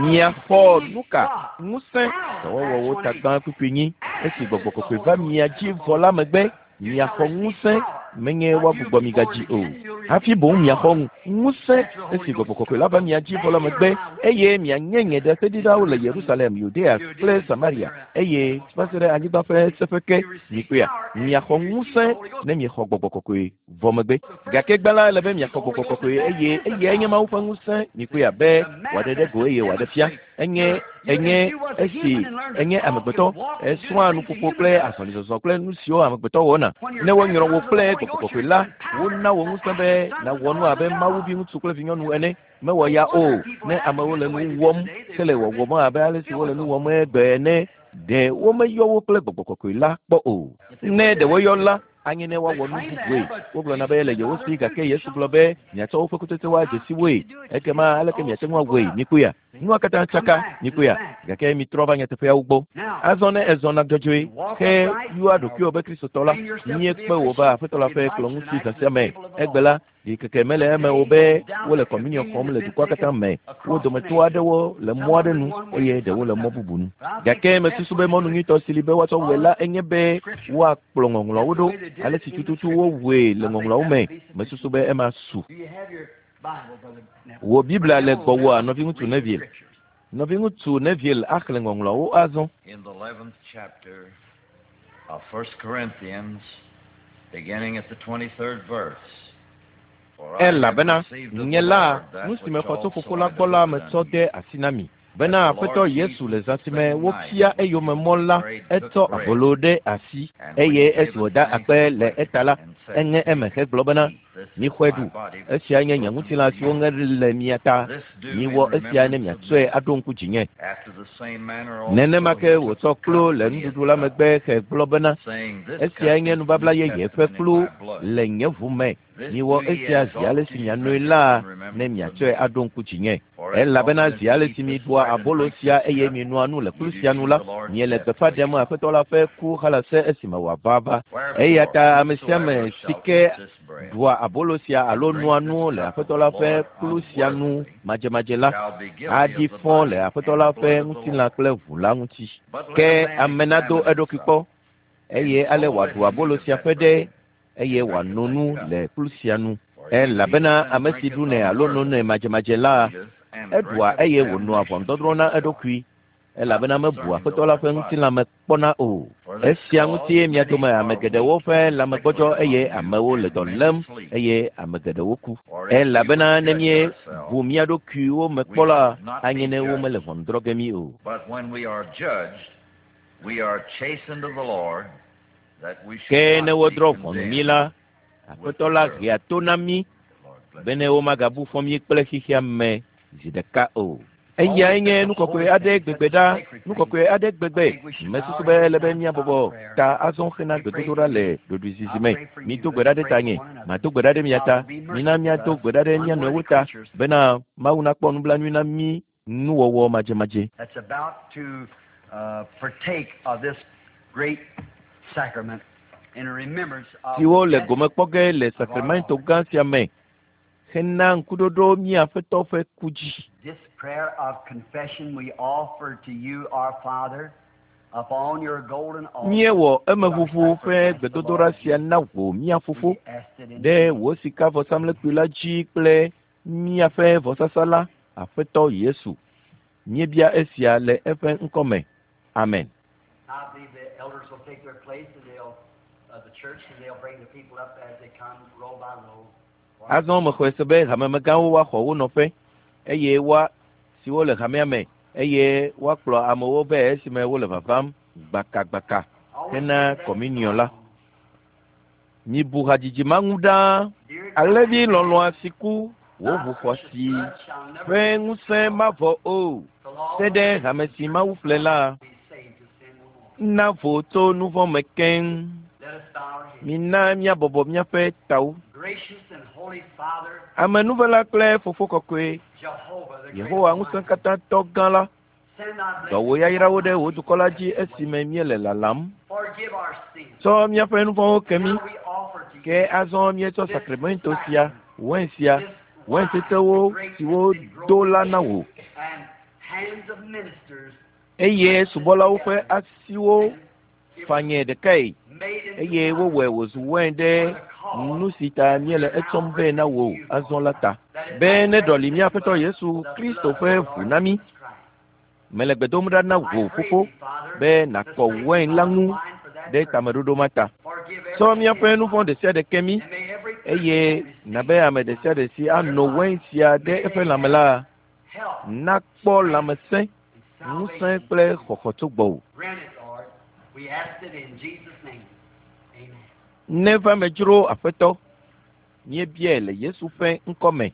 Miaxɔ nu ka? Ŋusẽ. Dɔwɔwɔwo ta gbã kpukpui nyi. Esi Gbɔgbɔ Kɔkɔe va mia dzi vɔ la megbe, miaxɔ ŋusẽ, menye woagbugbɔ mi gadzi o. Hafi boŋ miaxɔ ŋusẽ esi Gbɔgbɔ Kɔkɔe la va mia dzi vɔ la megbe, eye mianye nye ɖaseɖilawo le Yerusalem, Yudea kple Samaria, eye va se ɖe anyigba ƒe seƒe ke. Mikpɔea? Miaxɔ ŋusẽ ne miexɔ Gbɔgbɔ Kɔkɔe vɔ megbe. Gake gbã la ele be miaxɔ Gbɔgbɔ Kɔkɔe eye eyae nye Mawu ƒe ŋusẽ. Mikpɔea be wòaɖe ɖe go eye wòaɖe fia. Enye enye esi enye amegbetɔ esrɔ̃a nuƒoƒo kple azɔlizɔzɔ kple nu siwo amegbetɔ wɔna. Ne wonyrɔ wò kple Gbɔgbɔ Kɔkɔe la, wona wò ŋusẽ be nàwɔ nu abe Mawu viŋutsu kple vinyɔnu ene. Mewɔ ya o. Ne amewo le nu wɔm hele wɔwɔm abe ale si wole nu wɔm egbe ene, ɖe womeyɔ wo kple Gbɔgbɔ Kɔkɔe la kpɔ o. Ne ɖe woyɔ la, anye ne woawɔ nu bubue. Wogblɔna be le yewo si, gake Yesu gblɔ be miatsɔ woƒe kutsetsewo adze si woe. Ekema aleke miate ŋu awɔe? Mikpɔea? Nua katã tsaka. Mikpɔea? Gake mitrɔ va nyateƒeawo gbɔ. Azɔ ne ezɔna dzɔdzɔe ke yɔa ɖokuiwò be Kristotɔ la, míekpe wò va Aƒetɔ la ƒe kplɔ̃ ŋuti zã sia me. Egbe la, ɖikeke mele eme o be wole kɔmuniɔ xɔm le dukɔa katã me. Wo dometɔ aɖewo le mɔ aɖe nu eye ɖewo le mɔ bubu nu. Gake mesusu be mɔnu nyuitɔ si li be woatsɔ wɔe la enye be woakplɔ ŋɔŋlɔawo ɖo ale si tututu wowɔe le ŋɔŋlɔawo me. Mesusu be ema su. Wò Biblia le gbɔwòa, nɔviŋutsu Neville? Nɔviŋutsu Neville axlẽ ŋɔŋlɔawo azɔ. In the eleventh chapter of First Corinthians, beginning at the twenty-third verse. Elabena nye la, nu si mexɔ tso Fofo la gbɔ la metsɔ de asi na mi. Bena Aƒetɔ Yesu le zã si me wofia eyome mɔ la, etsɔ abolo ɖe asi eye esi wòda akpe le eta la, eŋe eme hegblɔ bena, mixɔe ɖu. Esia nye nye ŋutilã si woŋe le mia ta. Miwɔ esia ne miatsɔe aɖo ŋku dzinye. Nenema ke wòtsɔ kplu le nuɖuɖu la megbe hegblɔ bena, esia nye nubabla yeye ƒe kplu le nye ʋu me. Miwɔ esia zi ale si mianoe la ne miatsɔe aɖo ŋku dzinye. Elabena zi ale si miɖua abolo sia eye minoa nu le kplu sia nu la, miele gbeƒã ɖem Aƒetɔ la ƒe ku halase esime wòava va. Eya ta ame sia ame si ke ɖua abolo sia alo noa nu le Aƒetɔ la ƒe kplu sia nu madzemadze la, aɖi fɔ le Aƒetɔ la ƒe ŋutilã kple ʋu la ŋuti. Ke ame nado eɖokui kpɔ, eye ale wòaɖu abolo sia ƒe ɖe eye wòano nu le kplu sia nu. Elabena ame si ɖunɛ alo nonɛ madzemadze la, eɖua eye wònoa ʋɔnudɔdrɔ̃ na eɖokui, elabena mebua Aƒetɔ la ƒe ŋutilã me kpɔna o. Esia ŋutie mia dome ame geɖewo ƒe lãmegbɔdzɔ eye amewo le dɔ lém eye ame geɖewo ku. Elabena ne míebu mía ɖokuiwo me kpɔ la, anye ne womele ʋɔnu drɔ̃ ge mí o. Ke ne wodrɔ̃ ʋɔnu mí la, Aƒetɔ la hea to na mí bene womagabu fɔ mí kple xexea me zi ɖeka o. Eyae nye nu kɔkɔe aɖe gbegbe ɖa, nu kɔkɔe aɖe gbegbe. Mesusu be ele be míabɔbɔ ta azɔ hena gbedodoɖa le ɖoɖoezizi me. Mido gbe ɖa ɖe tanye, mado gbe ɖa ɖe mia ta. Mina míado gbe ɖa ɖe mía nɔewo ta bena Mawu nakpɔ nublanui na mí nuwɔwɔ madzemadze. That's about to uh, partake of this great sacrament in remembrance of siwo le gome kpɔ ge le sakramento gã sia me hena ŋkuɖoɖo mía Aƒetɔ ƒe ku dzi. This prayer of confession we offer to you, our Father, upon your golden altar. Míewɔ emeʋuʋu ƒe gbedodoɖa sia na wò mía Fofo We asked it in ɖe wò sikavɔsamlekpui la dzi kple míaƒe vɔsasa la, Aƒetɔ Yesu. Míebia esia le eƒe ŋkɔme. Amen. I believe the elders will take their place and they'll, uh, the church, and they'll bring the people up as they come row by row. Azɔ mexɔe se be hamemegãwo woaxɔ wo nɔƒe eye woa siwo le hamea me eye woakplɔ amewo vɛ esime wole vavam gbakagbaka hena kɔminiɔ la. Mibu hadzidzi ma ŋu ɖaa. Alẽvi lɔlɔ̃a si ku wò ʋu xɔasi ƒe ŋusẽ mavɔ o. Te ɖe hame si Mawu ƒle la na vo tso nu vɔ̃ me keŋ. Let us bow our heads. Mina míabɔbɔ míaƒe tawo. Gracious and holy Father, Amenuvela kple Fofo kɔkɔe, Jehovah, the great Yehowa Almighty, ŋusẽkatãtɔ gã la, send thy dɔ wò blessings yayrawo upon ɖe thy wò people dukɔ la as dzi we wait. esime míele lalam. Forgive our sins. Tsɔ míaƒe nu vɔ̃wo ke mí. Now we offer to Ke you azɔ míetsɔ this sakramento sia, wɛn sia, this wɛn wine, tsetsewo grape siwo that did grow do la na wò. and hands of ministers Eye subɔlawo ƒe asiwo and it was fanyɛ ɖekae made into eye wine wowɔe wòzu wɛn ɖe for the cause nu si ta míele etsɔm vɛ na wò azɔ la ta. that it Be might ne ɖɔli mía represent Aƒetɔ but Yesu the Kristo blood of ƒe the ʋu Lord na mí. Jesus Christ. Mele gbe dom ɖa na I wò pray Fofo thee, Father, be to nàkɔ wɛn la sanctify the ŋu wine for that ɖe purpose. tameɖoɖo ma ta. Forgive Tsɔ every míaƒe sin, nu vɔ̃ ɖe sia ɖe ke mí and may every eye person that receives nabe ame ɖe sia ɖe si ano wɛn sia ɖe may eƒe they lãme have la health, nakpɔ lãmesẽ, and ŋusẽ salvation. kple xɔxɔ tso gbɔwò. Grant it, Lord. We ask it in Jesus' name. Amen. Neva me dzro Aƒetɔ, míebiae le Yesu ƒe ŋkɔme.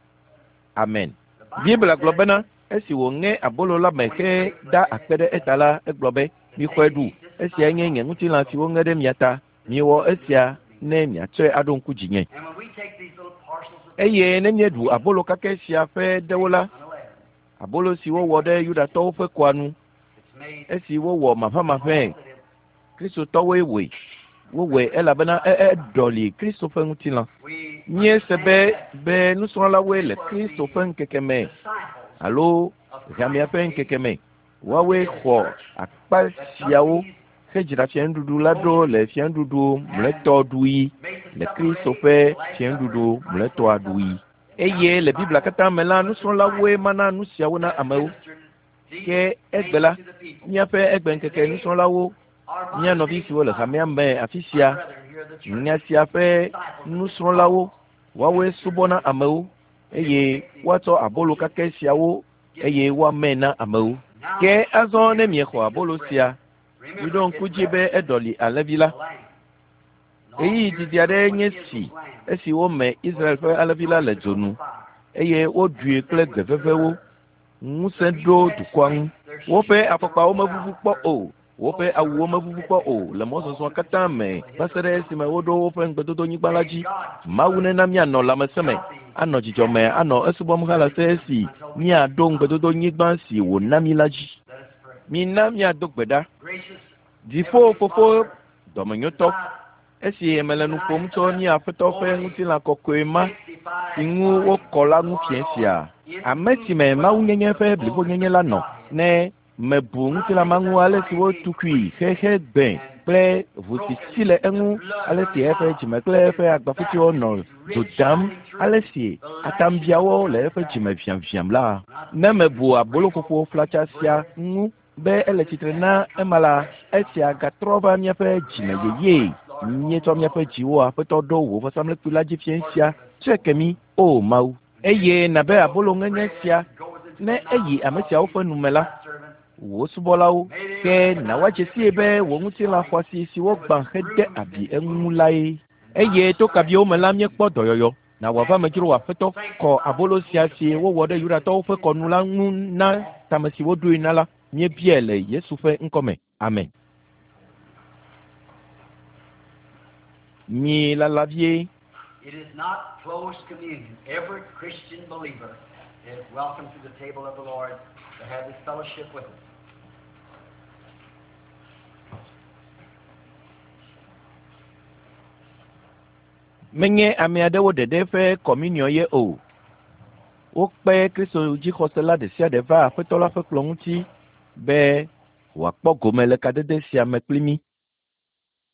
Amen. The Bible Biblia gblɔ says bena esi wòŋe abolo la me heda akpe ɖe eta la, egblɔ be, mixɔe ɖu, esiae nye nye ŋutilã si woŋe ɖe mia ta. Miwɔ esia ne miatsɔe aɖo ŋku dzinye. And when we take these little parcels of Eye ne míeɖu abolo kakɛ sia ƒe ɖewo la, unleavened, abolo si wowɔ ɖe Yudatɔwo ƒe kɔa nu, it's made esi wowɔ maʋamaʋãe, that it Kristotɔwoe wɔe. Wowɔe elabena e eɖɔli Kristo ƒe ŋutilã. we Míese be understand that be nusrɔ̃lawoe le Kristo ƒe ŋkeke me disciples alo of hamea ƒe Christ ŋkeke me. Woawoe xɔ akpa siawo hedzra fianuɖuɖu la ɖo le fianuɖuɖu mlɔetɔ ɖuɣi made the le supper Kristo ready, ƒe the last supper, fianuɖuɖu Christ's mlɔetɔa last ɖuɣi. supper. Eye le Biblia katã me la, nusrɔ̃lawoe mana nu siawo na amewo. Ministered these Ke egbe things la, to the people. míaƒe egbeŋkeke nusrɔ̃lawo, Our mía modern nɔvi day siwo le disciples, hamea me afi our sia, brethren here in the church, nya sia ƒe disciples of this nusrɔ̃lawo, woawoe subɔna amewo eye woatsɔ abolo kakɛ siawo eye woamee na amewo. Now, Ke azɔ ne miexɔ abolo sia, remember, miɖo ŋku it dzi be eɖɔli alẽvi la. the lamb. Ɣeyiɣi didi aɖee nye si esi wome Israel ƒe alẽvi la le dzo nu eye woɖui kple gbe vevewo. Ŋusẽ ɖo dukɔa ŋu. Woƒe afɔkpawo mevuvu kpɔ o, woƒe awuwo mevuvu kpɔ o le mɔzɔzɔ katã me va se ɖe esime woɖo woƒe ŋugbedodonyigba la dzi. Mawu nena míanɔ lãmesẽ me, anɔ dzidzɔ me, anɔ esubɔm halase esi míaɖo ŋugbedodonyigba si wòna mí la dzi. Let us pray. Mina míado gbe ɖa. Gracious Dziƒo Heavenly Fofo Father, dɔmenyotɔ, esi mele nu ƒom tso mía Aƒetɔ ƒe ŋutilã kɔkɔe ma si ŋu wokɔ la ŋu fiẽ sia, ame si me mawunyenye ƒe blibonyenye la nɔ, ne mebu ŋutilã ma ŋu ale si wotukui xexe gbẽ kple ʋu si si le eŋu, ale si eƒe dzime kple eƒe agbafutiwo nɔ dzo dam, ale si atambiawo le eƒe dzime viãviãm la, ne mebu aboloƒoƒo flatsa sia ŋu be ele tsitre na ema la, esia gatrɔ va míaƒe dzime yeye. Míetsɔ míaƒe dziwo Aƒetɔ ɖo wò vɔsamlekpui la dzi fiẽ sia. Tsɔe ke mí, O Mawu. Eye nabe abolo ŋeŋe sia, ne eyi ame siawo ƒe nu me la, wò subɔlawo, ke na woadze sii be wò ŋutilã xɔasi si wogbã hede abi eŋu lae. Eye to kabiwo me la míekpɔ dɔyɔyɔ. Na wòava me dzro wò Aƒetɔ, kɔ abolo sia si wowɔ ɖe Yudatɔwo ƒe kɔnu la ŋu na tame si woɖoe na la. Míebiae le Yesu ƒe ŋkɔme. Amen. Mi lala vie. It is not closed communion. Every Christian believer is welcome to the table of the Lord to have this fellowship with us. Menye ame aɖewo ɖeɖe ƒe kɔminiɔ ye o. Wokpe Kristo dzixɔsela ɖe sia ɖe va Aƒetɔ la ƒe kplɔ̃ ŋuti be wòakpɔ gome le kadede sia me kpli mí.